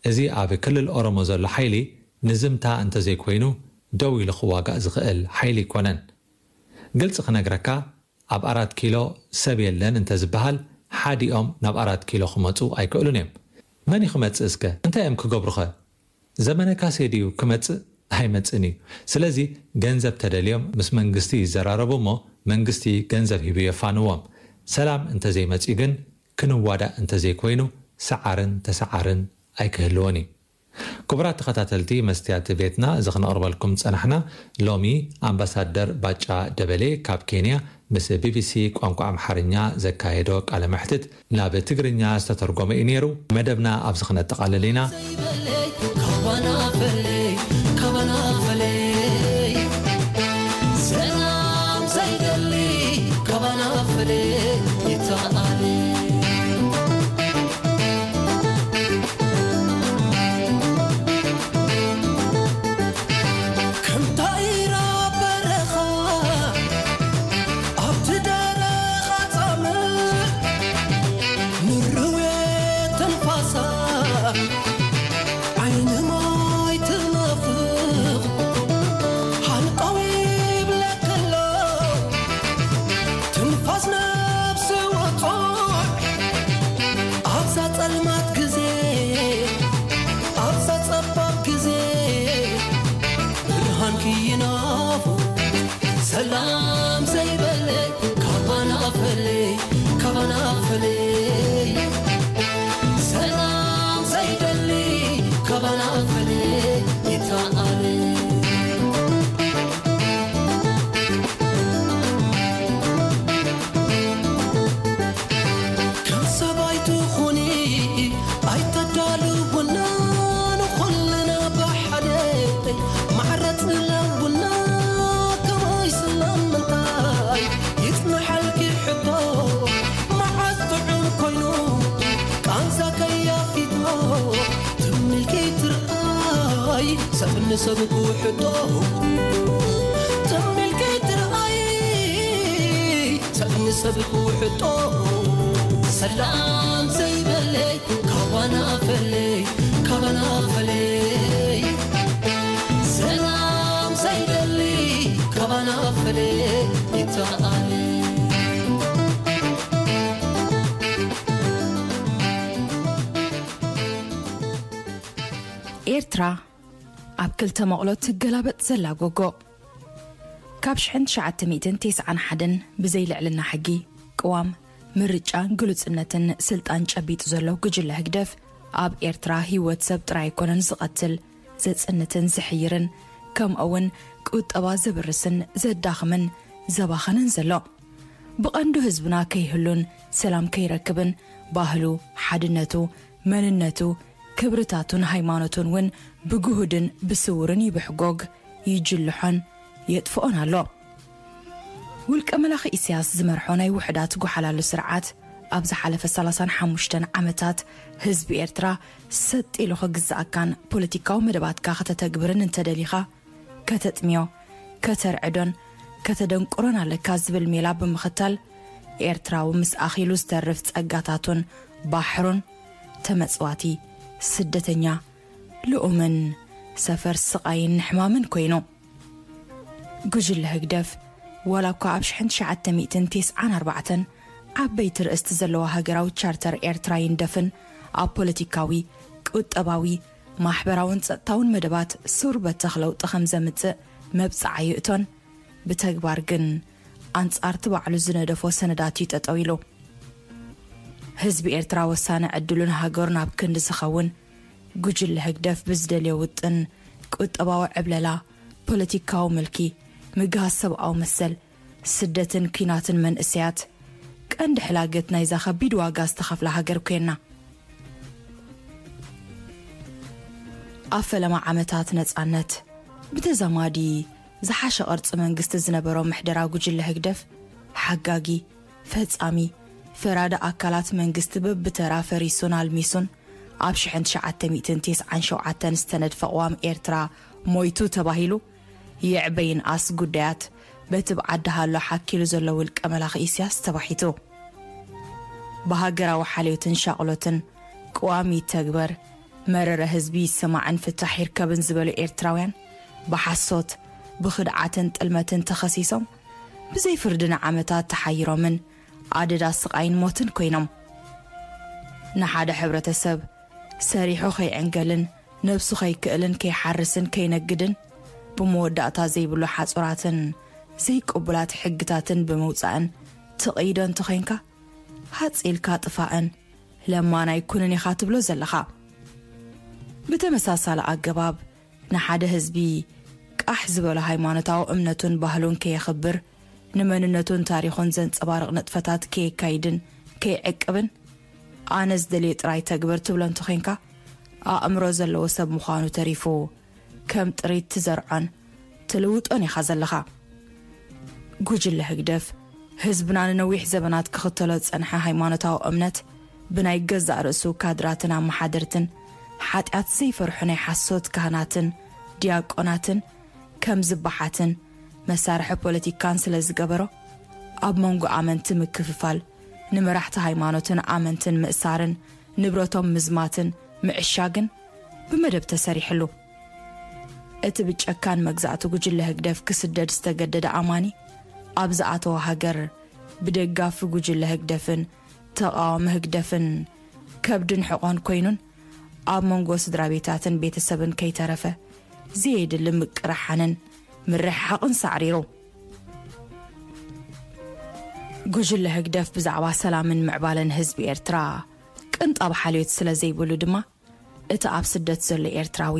እዚ ኣብ ክልል ኦሮሞ ዘሎ ሓይሊ ንዝምታ እንተዘይኮይኑ ደው ኢሉ ክዋጋእ ዝኽእል ሓይሊ ኣይኮነን። ግልጺ ክነግረካ፣ ኣብ ኣራት ኪሎ ሰብ የለን እንተዝበሃል ሓዲኦም ናብ ኣራት ኪሎ ክመጹ ኣይክእሉን እዮም። መን እዩ ክመጽእ እስከ? እንታይ እዮም ክገብሩኸ? ዘመነ ካሴ ድዩ ክመጽእ? ኣይመጽእን እዩ። ስለዚ ገንዘብ ተደልዮም ምስ መንግስቲ ይዘራረቡ እሞ መንግስቲ ገንዘብ ሂቡ የፋንዎም። ሰላም እንተዘይመጽኡ ግን ክንዋዳእ እንተዘይኮይኑ ሰዓርን ተሰዓርን ኣይክህልዎን እዩ። ክቡራት ተኸታተልቲ መስትያት ቤትና፣ እዚ ክነቕርበልኩም ጸናሕና ሎሚ ኣምባሳደር ባጫ ደበሌ ካብ ኬንያ ምስ ቢቢሲ ቋንቋ ኣምሓርኛ ዘካየዶ ቃለ መሕትት ናብ ትግርኛ ዝተተርጎመ እዩ ነይሩ። መደብና ኣብዚ ክነጠቓልል ኢና። ዘይበለይ ካባና ፈለይ፣ ካባና ፈለይ፣ ሰላም ዘይደሊ ካባና ፈለይ ይተኣለ። ከምታ ኢራ በረኻ ኣብቲ ደረቕ ኣጻምእ ምርዌ ትንፋሳ ዓይኒ ማይ ትናፍቕ ሃንቀው ይብለክሎ ትንፋስ ነፍሲ ወጹዕ ኣብዛ ጸልማት ግዜ ኣብዛ ጸባብ ግዜ ብርሃንኪ ይናፍቕ ሰላም ዘይበለይ ካባና ፈለይ ካባና ፈለይ ሰላም ዘይደሊ ካባና ፈለይ ይተኣለ። ከም ሰባይ ትኹኒ ኣይተዳልውና ንኹልና ብሓደ ማዕረ ጽለውና ከመይ ስለምንታይ ይጽንሓልኪ ሕቶ መዓዝ ጥዑም ኮይኑ ቃንዛ ከያፊቶ ትምልኪ ትርኣይ ሰብ ንሰብ ክውሕጦ ትምልኪ ትርኣይ ሰብ ንሰብ ክውሕጦ ሰላም ዘይበለይ ካባና ፈለይ ካባና ፈለይ ሰላም ዘይደሊ ካባና ፈለይ ይተኣለ። ኤርትራ ኣብ ክልተ መቕሎ ትገላበጥ ዘላ ጎጎ። ካብ ሽሕን ትሽዓተ ሚእትን ተስዓን ሓደን ብዘይ ልዕልና ሕጊ፣ ቅዋም፣ ምርጫ፣ ግሉጽነትን ስልጣን ጨቢጡ ዘሎ ጉጅለ ህግደፍ፣ ኣብ ኤርትራ ህይወት ሰብ ጥራይ ኣይኮነን ዝቐትል፣ ዘጽንትን ዝሕይርን፣ ከምኡ'ውን ቁጠባ ዘብርስን ዘዳኽምን ዘባኽንን ዘሎ። ብቐንዱ ህዝብና ከይህሉን ሰላም ከይረክብን፣ ባህሉ፣ ሓድነቱ፣ መንነቱ፣ ክብርታቱን ሃይማኖቱን እውን ብግሁድን ብስውርን ይብሕጎግ፣ ይጅልሖን የጥፍኦን ኣሎ። ውልቀ መላኺ ኢሳያስ ዝመርሖ ናይ ውሑዳት ጓሓላሉ ስርዓት፣ ኣብ ዝሓለፈ ሰላሳን ሓሙሽተን ዓመታት ህዝቢ ኤርትራ ሰጥ ኢሉ ክግዝኣካን ፖለቲካዊ መደባትካ ከተተግብርን እንተደሊኻ፣ ከተጥምዮ፣ ከተርዕዶን ከተደንቁሮን ኣለካ ዝብል ሜላ ብምኽታል፣ ኤርትራዊ ምስ ኣኺሉ ዝተርፍ ጸጋታቱን ባሕሩን፣ ተመጽዋቲ፣ ስደተኛ፣ ልኡምን ሰፈር ስቓይን ሕማምን ኮይኑ። ጉጅለ ህግደፍ፣ ዋላ እኳ ኣብ ሽሕን ትሽዓተ ሚእትን ተስዓን ኣርባዕተን ዓበይቲ ርእስቲ ዘለዋ ሃገራዊ ቻርተር ኤርትራ ይንደፍን፣ ኣብ ፖለቲካዊ፣ ቁጠባዊ፣ ማሕበራውን ጸጥታውን መደባት ሱር በተኽ ለውጢ ከም ዘምጽእ መብጽዓ ይእቶን፣ ብተግባር ግን ኣንጻርቲ ባዕሉ ዝነደፎ ሰነዳት እዩ ጠጠው ኢሉ። ህዝቢ ኤርትራ ወሳኒ ዕድሉን ሃገሩን ኣብ ክንዲ ዝኸውን፣ ጉጅለ ህግደፍ ብዝደልዮ ውጥን ቁጠባዊ ዕብለላ፣ ፖለቲካዊ ምልኪ፣ ምግሃስ ሰብኣዊ መሰል፣ ስደትን ኲናትን መንእሰያት፣ ቀንዲ ሕላገት ናይዛ ከቢድ ዋጋ ዝተኸፍላ ሃገር ኮይና። ኣብ ፈለማ ዓመታት ነጻነት፣ ብተዛማዲ ዝሓሸ ቅርጺ መንግስቲ ዝነበሮ ምሕደራ ጉጅለ ህግደፍ፣ ሓጋጊ፣ ፈጻሚ፣ ፈራዲ ኣካላት መንግስቲ በብተራ ፈሪሱን ኣልሚሱን፣ ኣብ ሽሕን ትሽዓተ ሚእትን ተስዓን ሸውዓተን ዝተነድፈ ቅዋም ኤርትራ ሞይቱ ተባሂሉ፣ ይዕበ ይንኣስ ጉዳያት በቲ ብዓዲ ሃሎ ሓኪሉ ዘሎ ውልቀ መላኺ ኢሳያስ ተባሒቱ። ብሃገራዊ ሓልዮትን ሻቕሎትን ቅዋም ይተግበር፣ መረረ ህዝቢ ይሰማዕን ፍታሕ ይርከብን ዝበሉ ኤርትራውያን፣ ብሓሶት፣ ብኽድዓትን ጥልመትን ተኸሲሶም፣ ብዘይ ፍርዲ ንዓመታት ተሓይሮምን ኣደዳ ስቓይን ሞትን ኮይኖም። ንሓደ ሕብረተሰብ ሰሪሑ ከይዕንገልን ነብሱ ከይክእልን ከይሓርስን ከይነግድን፣ ብመወዳእታ ዘይብሉ ሓጹራትን ዘይቅቡላት ሕግታትን ብምውጻእን ትቕይዶ እንተኾይንካ፣ ሃጽ ኢልካ ጥፋእን ለማን ኣይኩንን ኢኻ ትብሎ ዘለኻ። ብተመሳሳሊ ኣገባብ፣ ንሓደ ህዝቢ ቃሕ ዝበሎ ሃይማኖታዊ እምነቱን ባህሉን ከየኽብር፣ ንመንነቱን ታሪኹን ዘንጸባርቕ ንጥፈታት ከየካይድን ከይዕቅብን፣ ኣነ ዝደልዮ ጥራይ ተግብር ትብሎ እንተኾይንካ፣ ኣእምሮ ዘለዎ ሰብ ምዃኑ ተሪፉ፣ ከም ጥሪት ትዘርዖን ትልውጦን ኢኻ ዘለኻ። ጉጅለ ህግደፍ፣ ህዝብና ንነዊሕ ዘበናት ክኽተሎ ዝጸንሐ ሃይማኖታዊ እምነት፣ ብናይ ገዛእ ርእሱ ካድራትን ኣመሓደርትን፣ ሓጢኣት ዘይፈርሑ ናይ ሓሶት ካህናትን ዲያቆናትን ከም ዝበሓትን መሳርሒ ፖለቲካን ስለ ዝገበሮ፣ ኣብ መንጎ ኣመንቲ ምክፍፋል፣ ንመራሕቲ ሃይማኖትን ኣመንትን ምእሳርን ንብረቶም ምዝማትን ምዕሻግን ብመደብ ተሰሪሕሉ። እቲ ብጨካን መግዛእቲ ጉጅለ ህግደፍ ክስደድ ዝተገደደ ኣማኒ፣ ኣብ ዝኣተወ ሃገር ብደጋፊ ጉጅለ ህግደፍን ተቓዋሚ ህግደፍን ከብድን ሕቖን ኮይኑን፣ ኣብ መንጎ ስድራ ቤታትን ቤተሰብን ከይተረፈ ዘየድሊ ምቅርሓንን ምርሕሓቕን ሳዕሪሩ። ጉጅለ ህግደፍ ብዛዕባ ሰላምን ምዕባለን ህዝቢ ኤርትራ ቅንጣብ ሓልዮት ስለ ዘይብሉ ድማ፣ እቲ ኣብ ስደት ዘሎ ኤርትራዊ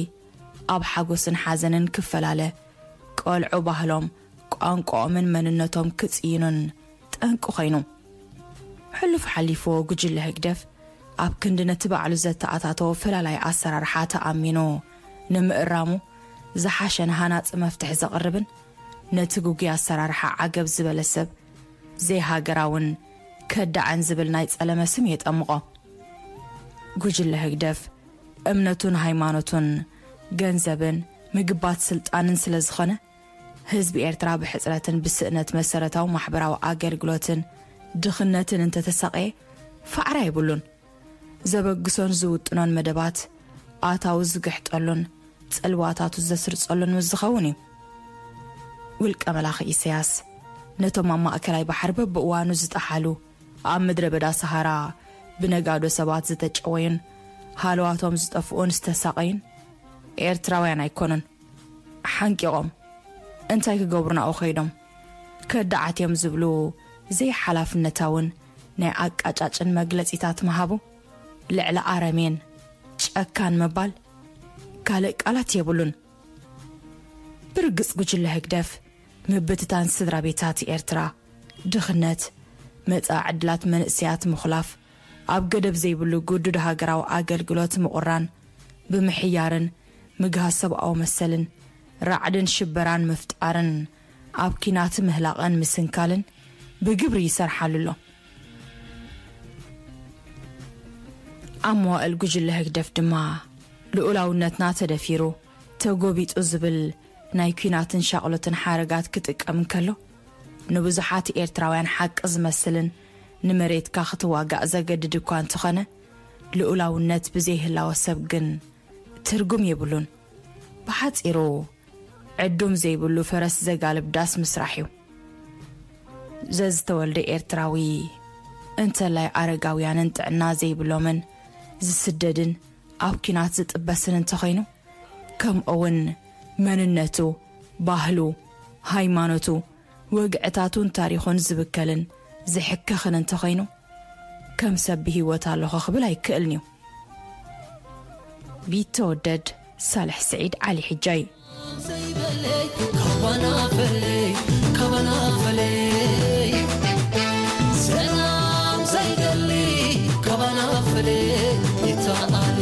ኣብ ሓጎስን ሓዘንን ክፈላለ፣ ቆልዑ ባህሎም፣ ቋንቋኦምን መንነቶም ክጽይኑን ጠንቂ ኮይኑ። ሕሉፍ ሓሊፍዎ ጉጅለ ህግደፍ ኣብ ክንዲ ነቲ ባዕሉ ዘተኣታተዎ ፈላላይ ኣሰራርሓ ተኣሚኑ ንምእራሙ ዝሓሸን ሃናጺ መፍትሒ ዘቕርብን፣ ነቲ ግጉይ ኣሰራርሓ ዓገብ ዝበለ ሰብ ዘይሃገራውን ከዳዕን ዝብል ናይ ጸለመ ስም የጠምቖ። ጉጅለ ህግደፍ እምነቱን ሃይማኖቱን፣ ገንዘብን ምግባት ስልጣንን ስለ ዝኾነ፣ ህዝቢ ኤርትራ ብሕጽረትን ብስእነት መሰረታዊ ማሕበራዊ ኣገልግሎትን ድኽነትን እንተተሳቐየ፣ ፋዕራ የብሉን። ዘበግሶን ዝውጥኖን መደባት ኣታዊ ዝግሕጠሉን ጽልዋታቱ ዘስርጸሉን ምስ ዝኸውን እዩ። ውልቀ መላኺ ኢሳያስ፣ ነቶም ኣብ ማእከላይ ባሕሪ በብእዋኑ ዝጠሓሉ፣ ኣብ ምድረ በዳ ሰሃራ ብነጋዶ ሰባት ዝተጨወዩን ሃለዋቶም ዝጠፍኡን ዝተሳቐዩን ኤርትራውያን ኣይኮኑን። ሓንቂቖም እንታይ ክገብሩ ናብኡ ከይዶም? ከዳዓት እዮም ዝብሉ ዘይሓላፍነታውን ናይ ኣቃጫጭን መግለጺታት ምሃቡ፣ ልዕሊ ኣረሜን ጨካን ምባል ካልእ ቃላት የብሉን። ብርግጽ ጉጅለ ህግደፍ ምብትታን ስድራ ቤታት ኤርትራ፣ ድኽነት፣ መጻኢ ዕድላት መንእሰያት ምኹላፍ፣ ኣብ ገደብ ዘይብሉ ግዱድ ሃገራዊ ኣገልግሎት ምቑራን፣ ብምሕያርን ምግሃስ ሰብኣዊ መሰልን፣ ራዕድን ሽበራን ምፍጣርን፣ ኣብ ኲናት ምህላቕን ምስንካልን ብግብሪ ይሰርሓሉ ኣሎ። ኣብ መዋእል ጉጅለ ህግደፍ ድማ፣ ልኡላውነትና ተደፊሩ፣ ተጎቢጡ ዝብል ናይ ኲናትን ሻቕሎትን ሓረጋት ክጥቀም እንከሎ፣ ንብዙሓት ኤርትራውያን ሓቂ ዝመስልን ንመሬትካ ክትዋጋእ ዘገድድ እኳ እንተኾነ፣ ልኡላውነት ብዘይህላወ ሰብ ግን ትርጉም የብሉን። ብሓጺሩ፣ ዕዱም ዘይብሉ ፈረስ ዘጋልብ ዳስ ምስራሕ እዩ። ዘዝተወልደ ኤርትራዊ፣ እንተላይ ኣረጋውያንን ጥዕና ዘይብሎምን ዝስደድን ኣብ ኲናት ዝጥበስን እንተኾይኑ፣ ከምኡውን መንነቱ፣ ባህሉ፣ ሃይማኖቱ፣ ወግዕታቱን ታሪኹን ዝብከልን ዝሕከኽን እንተኾይኑ፣ ከም ሰብ ብህይወት ኣለኹ ክብል ኣይክእልን እዩ። ቢተወደድ ሳልሕ ስዒድ ዓሊ ሕጃይ። ዘይበለይ ካባና ፈለይ፣ ካባና ፈለይ፣ ሰላም ዘይደሊ ካባና ፈለይ፣ ይተኣለ።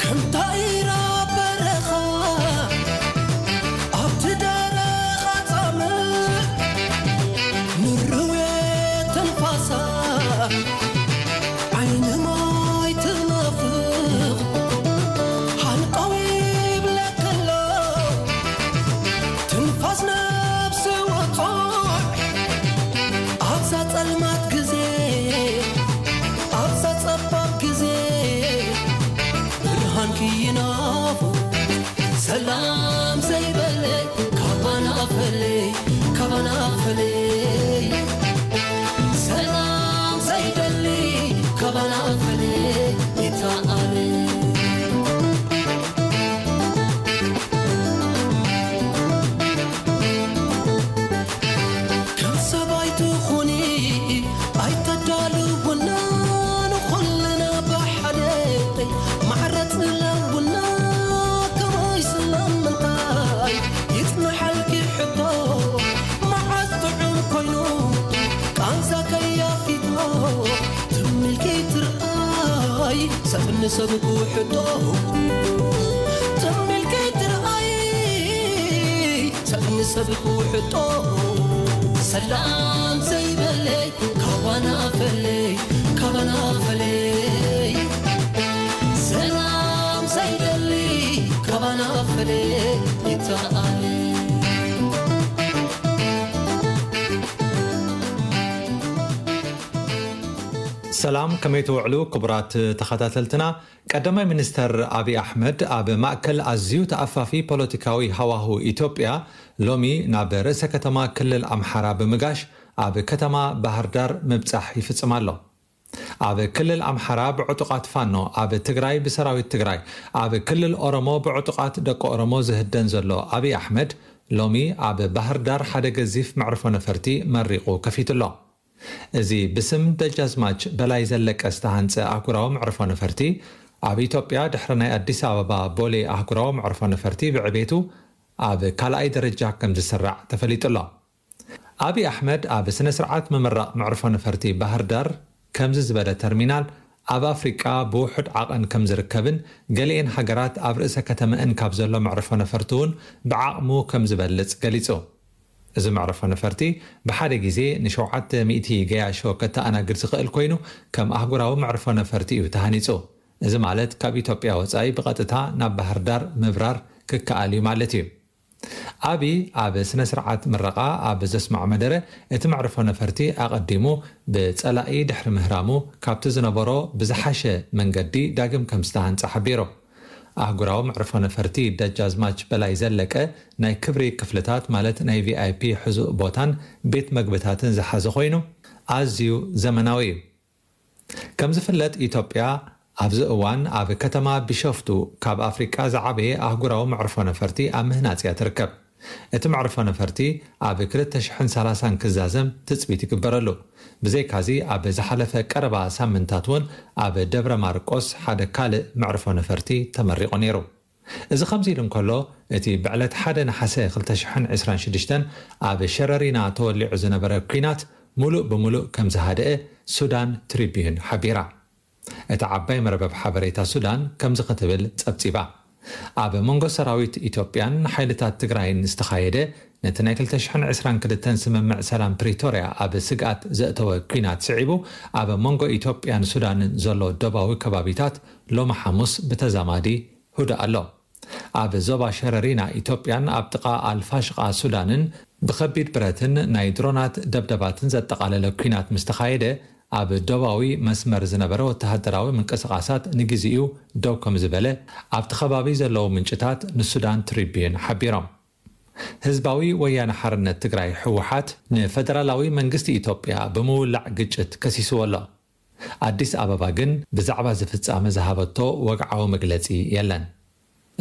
ከም ታይራ በረኻ ኣብቲ ደረኻ ጻምእ፣ ንርዌ ትንፋሳ ዓይኒ ማይ ትናፍቕ፣ ሃንቀው ይብለካ ኣሎ ትንፋስ ነፍሲ ወጹዕ። ኣብዛ ጸልማት ግዜ፣ ኣብዛ ጸባብ ግዜ፣ ብርሃንኪ ይናፍቕ። ሰላም ዘይበለይ ካባና ፈለይ፣ ካባና ፈለይ። ሰላም ዘይደሊ ካባና ፈለይ፣ ይተኣለ። ከም ሰባይ ትኹኒ ኣይተዳልውና፣ ንኹልና ብሓደ ማዕረ ጽለውና። ከመይ ስለምንታይ ይጽንሓልኪ ሕቶ፣ መዓስ ጥዑም ኮይኑ ቃንዛ ከያፊቶ፣ ትም ኢልኪ ትርኣይ ሰብ ንሰብ ክውሕጦ፣ ትም ኢልኪ ትርኣይ ሰብ ንሰብ ክውሕጦ። ሰላም ዘይበለይ ካባና ፈለይ፣ ካባና ፈለይ። ሰላም ዘይደሊ ካባና ፈለይ፣ ይተኣለ። ሰላም፣ ከመይ ትውዕሉ ክቡራት ተኸታተልትና? ቀዳማይ ሚኒስተር ኣብይ ኣሕመድ ኣብ ማእከል ኣዝዩ ተኣፋፊ ፖለቲካዊ ሃዋሁ ኢትዮጵያ ሎሚ ናብ ርእሰ ከተማ ክልል ኣምሓራ ብምጋሽ ኣብ ከተማ ባህር ዳር ምብጻሕ ይፍጽም ኣሎ። ኣብ ክልል ኣምሓራ ብዕጡቓት ፋኖ፣ ኣብ ትግራይ ብሰራዊት ትግራይ፣ ኣብ ክልል ኦሮሞ ብዕጡቓት ደቂ ኦሮሞ ዝህደን ዘሎ ኣብይ ኣሕመድ ሎሚ ኣብ ባህር ዳር ሓደ ገዚፍ መዕርፎ ነፈርቲ መሪቑ ከፊቱ ኣሎ። እዚ ብስም ደጃዝማች በላይ ዘለቀ ዝተሃንጸ ኣህጉራዊ መዕርፎ ነፈርቲ፣ ኣብ ኢትዮጵያ ድሕሪ ናይ ኣዲስ ኣበባ ቦሌ ኣህጉራዊ መዕርፎ ነፈርቲ ብዕቤቱ ኣብ ካልኣይ ደረጃ ከም ዝስራዕ ተፈሊጡ ኣሎ። ኣብይ ኣሕመድ ኣብ ስነ ስርዓት ምምራቕ መዕርፎ ነፈርቲ ባህር ዳር ከምዚ ዝበለ ተርሚናል ኣብ ኣፍሪቃ ብውሑድ ዓቐን ከም ዝርከብን ገሊኤን ሃገራት ኣብ ርእሰ ከተመአን ካብ ዘሎ መዕርፎ ነፈርቲ እውን ብዓቕሙ ከም ዝበልጽ ገሊጹ። እዚ መዕርፎ ነፈርቲ ብሓደ ግዜ ንሸውዓተ ሚእቲ ገያሾ ከተኣናግድ ዝኽእል ኮይኑ፣ ከም ኣህጉራዊ መዕርፎ ነፈርቲ እዩ ተሃኒጹ። እዚ ማለት ካብ ኢትዮጵያ ወጻኢ ብቐጥታ ናብ ባህር ዳር ምብራር ክከኣል እዩ ማለት እዩ። ኣብይ ኣብ ስነ ስርዓት ምረቓ ኣብ ዘስምዖ መደረ፣ እቲ መዕርፎ ነፈርቲ ኣቐዲሙ ብጸላኢ ድሕሪ ምህራሙ ካብቲ ዝነበሮ ብዝሓሸ መንገዲ ዳግም ከም ዝተሃንጸ ሓቢሩ። ኣህጉራዊ መዕርፎ ነፈርቲ ደጃዝማች በላይ ዘለቀ ናይ ክብሪ ክፍልታት ማለት ናይ ቪኣይፒ ሕዙእ ቦታን ቤት መግብታትን ዝሓዘ ኮይኑ ኣዝዩ ዘመናዊ እዩ። ከም ዝፍለጥ ኢትዮጵያ ኣብዚ እዋን ኣብ ከተማ ቢሾፍቱ ካብ ኣፍሪቃ ዝዓበየ ኣህጉራዊ መዕርፎ ነፈርቲ ኣብ ምህናጽ እያ ትርከብ። እቲ መዕርፎ ነፈርቲ ኣብ ክልተ ሽሕን ሰላሳን ክዛዘም ትጽቢት ይግበረሉ። ብዘይካዚ ኣብ ዝሓለፈ ቀረባ ሳምንታት እውን ኣብ ደብረ ማርቆስ ሓደ ካልእ መዕርፎ ነፈርቲ ተመሪቑ ነይሩ። እዚ ከምዚ ኢሉ እንከሎ፣ እቲ ብዕለት ሓደ ነሓሰ ክልተ ሽሕን ዕስራን ሽዱሽተን ኣብ ሸረሪና ተወሊዑ ዝነበረ ኲናት ሙሉእ ብሙሉእ ከም ዝሃደአ ሱዳን ትሪቢዩን ሓቢራ። እታ ዓባይ መርበብ ሓበሬታ ሱዳን ከምዚ ክትብል ጸብጺባ። ኣብ መንጎ ሰራዊት ኢትዮጵያን ሓይልታት ትግራይን ዝተኻየደ ነቲ ናይ ክልተ ሽሕን ዕስራን ክልተን ስምምዕ ሰላም ፕሪቶርያ ኣብ ስግኣት ዘእተወ ኲናት ስዒቡ፣ ኣብ መንጎ ኢትዮጵያን ሱዳንን ዘሎ ዶባዊ ከባቢታት ሎሚ ሓሙስ ብተዛማዲ ህዱእ ኣሎ። ኣብ ዞባ ሸረሪና ኢትዮጵያን ኣብ ጥቓ ኣልፋሽቓ ሱዳንን ብኸቢድ ብረትን ናይ ድሮናት ደብደባትን ዘጠቓለለ ኲናት ምስ ተኻየደ፣ ኣብ ዶባዊ መስመር ዝነበረ ወተሃደራዊ ምንቅስቓሳት ንግዜኡ ደው ከም ዝበለ ኣብቲ ከባቢ ዘለዉ ምንጭታት ንሱዳን ትሪቢዩን ሓቢሮም። ህዝባዊ ወያነ ሓርነት ትግራይ፣ ህወሓት፣ ንፈደራላዊ መንግስቲ ኢትዮጵያ ብምውላዕ ግጭት ከሲስዎ ኣሎ። ኣዲስ ኣበባ ግን ብዛዕባ እዚ ፍጻመ ዝሃበቶ ወግዓዊ መግለጺ የለን።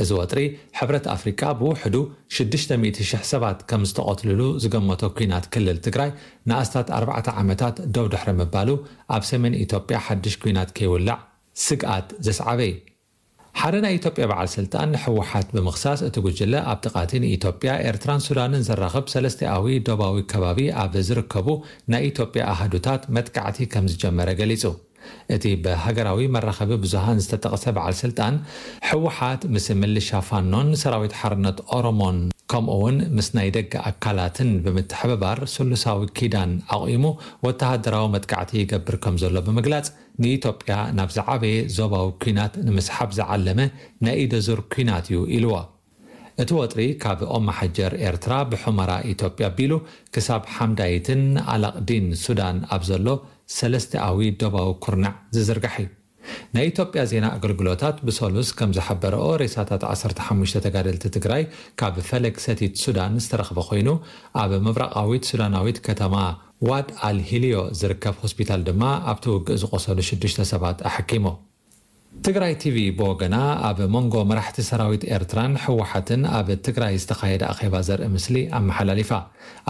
እዚ ወጥሪ፣ ሕብረት ኣፍሪቃ ብውሕዱ ሽዱሽተ ሚእቲ ሽሕ ሰባት ከም ዝተቐትልሉ ዝገመቶ ኲናት ክልል ትግራይ ንኣስታት ኣርባዕተ ዓመታት ደው ድሕሪ ምባሉ፣ ኣብ ሰሜን ኢትዮጵያ ሓድሽ ኲናት ከይውላዕ ስግኣት ዘስዓበ እዩ። ሓደ ናይ ኢትዮጵያ በዓል ስልጣን ንህወሓት ብምኽሳስ፣ እቲ ጉጅለ ኣብቲ ቃቲ ንኢትዮጵያ፣ ኤርትራን ሱዳንን ዘራኽብ ሰለስቲኣዊ ዶባዊ ከባቢ ኣብ ዝርከቡ ናይ ኢትዮጵያ ኣሃዱታት መጥቃዕቲ ከም ዝጀመረ ገሊጹ። እቲ ብሃገራዊ መራኸቢ ብዙሃን ዝተጠቕሰ በዓል ስልጣን፣ ህወሓት ምስ ምልሻ ፋኖን ሰራዊት ሓርነት ኦሮሞን ከምኡ'ውን ምስ ናይ ደገ ኣካላትን ብምትሕብባር ስሉሳዊ ኪዳን ኣቑሙ ወተሃደራዊ መጥቃዕቲ ይገብር ከም ዘሎ ብምግላጽ፣ ንኢትዮጵያ ናብ ዝዓበየ ዞባዊ ኲናት ንምስሓብ ዝዓለመ ናይ ኢደ ዙር ኲናት እዩ ኢልዎ። እቲ ወጥሪ ካብ ኦማሓጀር ኤርትራ ብሑመራ ኢትዮጵያ ኣቢሉ ክሳብ ሓምዳይትን ኣላቕዲን ሱዳን ኣብ ዘሎ ሰለስቲኣዊ ዶባዊ ኩርናዕ ዝዝርጋሕ እዩ። ናይ ኢትዮጵያ ዜና ኣገልግሎታት ብሰሉስ ከም ዝሓበረኦ፣ ሬሳታት ዓሰርተ ሓሙሽተ ተጋደልቲ ትግራይ ካብ ፈለግ ሰቲት ሱዳን ዝተረኽበ ኮይኑ፣ ኣብ ምብራቓዊት ሱዳናዊት ከተማ ዋድ ኣል ሂልዮ ዝርከብ ሆስፒታል ድማ ኣብቲ ውግእ ዝቖሰሉ ሽዱሽተ ሰባት ኣሐኪሙ። ትግራይ ቲቪ ብወገና፣ ኣብ መንጎ መራሕቲ ሰራዊት ኤርትራን ህወሓትን ኣብ ትግራይ ዝተኻየደ ኣኼባ ዘርኢ ምስሊ ኣመሓላሊፋ።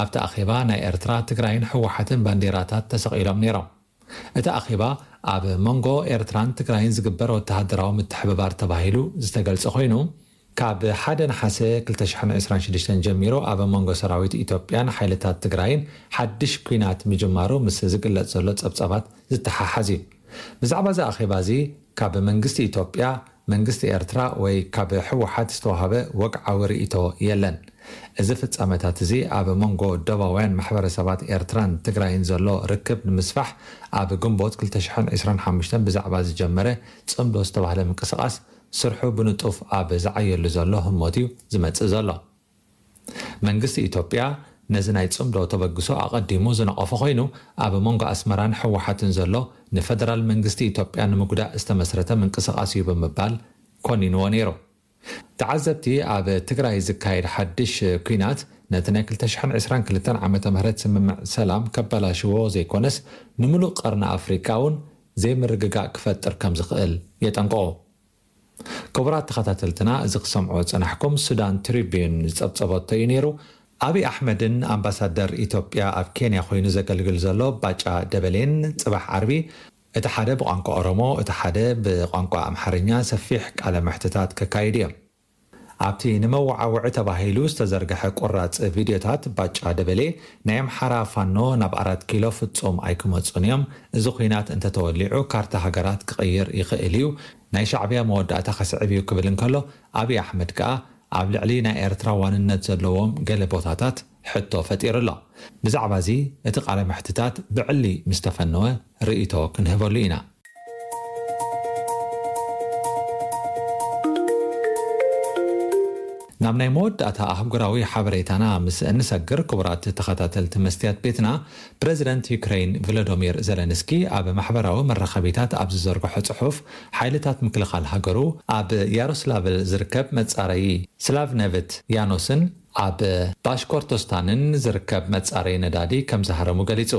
ኣብቲ ኣኼባ ናይ ኤርትራ፣ ትግራይን ህወሓትን ባንዴራታት ተሰቒሎም ነይሮም። እቲ ኣኼባ ኣብ መንጎ ኤርትራን ትግራይን ዝግበር ወተሃደራዊ ምትሕብባር ተባሂሉ ዝተገልጸ ኮይኑ፣ ካብ ሓደ ነሓሰ ክልተ ሽሕን ዕስራን ሽዱሽተን ጀሚሩ ኣብ መንጎ ሰራዊት ኢትዮጵያን ሓይልታት ትግራይን ሓድሽ ኲናት ምጅማሩ ምስ ዝግለጽ ዘሎ ጸብጻባት ዝተሓሓዝ እዩ። ብዛዕባ እዚ ኣኼባ እዚ ካብ መንግስቲ ኢትዮጵያ፣ መንግስቲ ኤርትራ ወይ ካብ ህወሓት ዝተዋህበ ወግዓዊ ርእይቶ የለን። እዚ ፍጻመታት እዚ ኣብ መንጎ ደባውያን ማሕበረሰባት ኤርትራን ትግራይን ዘሎ ርክብ ንምስፋሕ ኣብ ግንቦት ክልተ ሽሕን ዕስራን ሓሙሽተን ብዛዕባ ዝጀመረ ጽምዶ ዝተባህለ ምንቅስቓስ ስርሑ ብንጡፍ ኣብ ዝዓየሉ ዘሎ ህሞት እዩ ዝመጽእ ዘሎ። መንግስቲ ኢትዮጵያ ነዚ ናይ ጽምዶ ተበግሶ ኣቐዲሙ ዝነቐፎ ኮይኑ፣ ኣብ መንጎ ኣስመራን ህወሓትን ዘሎ ንፈደራል መንግስቲ ኢትዮጵያ ንምጉዳእ ዝተመስረተ ምንቅስቓስ እዩ ብምባል ኮኒንዎ ነይሩ። ተዓዘብቲ፣ ኣብ ትግራይ ዝካየድ ሓድሽ ኲናት ነቲ ናይ ክልተ ሽሕን ዕስራን ክልተን ዓመተ ምህረት ስምምዕ ሰላም ከባላሽዎ ዘይኮነስ፣ ንምሉእ ቀርኒ ኣፍሪቃ እውን ዘይምርግጋእ ክፈጥር ከም ዝኽእል የጠንቅቑ። ክቡራት ተኸታተልትና፣ እዚ ክሰምዖ ዝጸናሕኩም ሱዳን ትሪቢዩን ዝጸብጸበቶ እዩ ነይሩ። ኣብይ ኣሕመድን ኣምባሳደር ኢትዮጵያ ኣብ ኬንያ ኮይኑ ዘገልግል ዘሎ ባጫ ደበሌን ጽባሕ ዓርቢ፣ እቲ ሓደ ብቋንቋ ኦሮሞ፣ እቲ ሓደ ብቋንቋ ኣምሓርኛ ሰፊሕ ቃለ መሕትታት ከካይዱ እዮም። ኣብቲ ንመወዓውዒ ተባሂሉ ዝተዘርግሐ ቁራጽ ቪድዮታት፣ ባጫ ደበሌ፣ ናይ ኣምሓራ ፋኖ ናብ ኣራት ኪሎ ፍጹም ኣይክመጹን እዮም፣ እዚ ኲናት እንተተወሊዑ ካርታ ሃገራት ክቕይር ይኽእል እዩ፣ ናይ ሻዕብያ መወዳእታ ከስዕብ እዩ ክብል እንከሎ፣ ኣብይ ኣሕመድ ከኣ ኣብ ልዕሊ ናይ ኤርትራ ዋንነት ዘለዎም ገለ ቦታታት ሕቶ ፈጢሩ ኣሎ። ብዛዕባ እዚ እቲ ቃለ መሕትታት ብዕሊ ምስ ተፈነወ ርእይቶ ክንህበሉ ኢና። ናብ ናይ መወዳእታ ኣህጉራዊ ሓበሬታና ምስ እንሰግር፣ ክቡራት ተኸታተልቲ መስትያት ቤትና፣ ፕረዚደንት ዩክረይን ቮሎዶሚር ዘለንስኪ ኣብ ማሕበራዊ መራኸቢታት ኣብ ዝዘርግሖ ጽሑፍ፣ ሓይልታት ምክልኻል ሃገሩ ኣብ ያሮስላቭል ዝርከብ መጻረዪ ስላቭነቭት ያኖስን ኣብ ባሽኮርቶስታንን ዝርከብ መጻረዪ ነዳዲ ከም ዝሃረሙ ገሊጹ።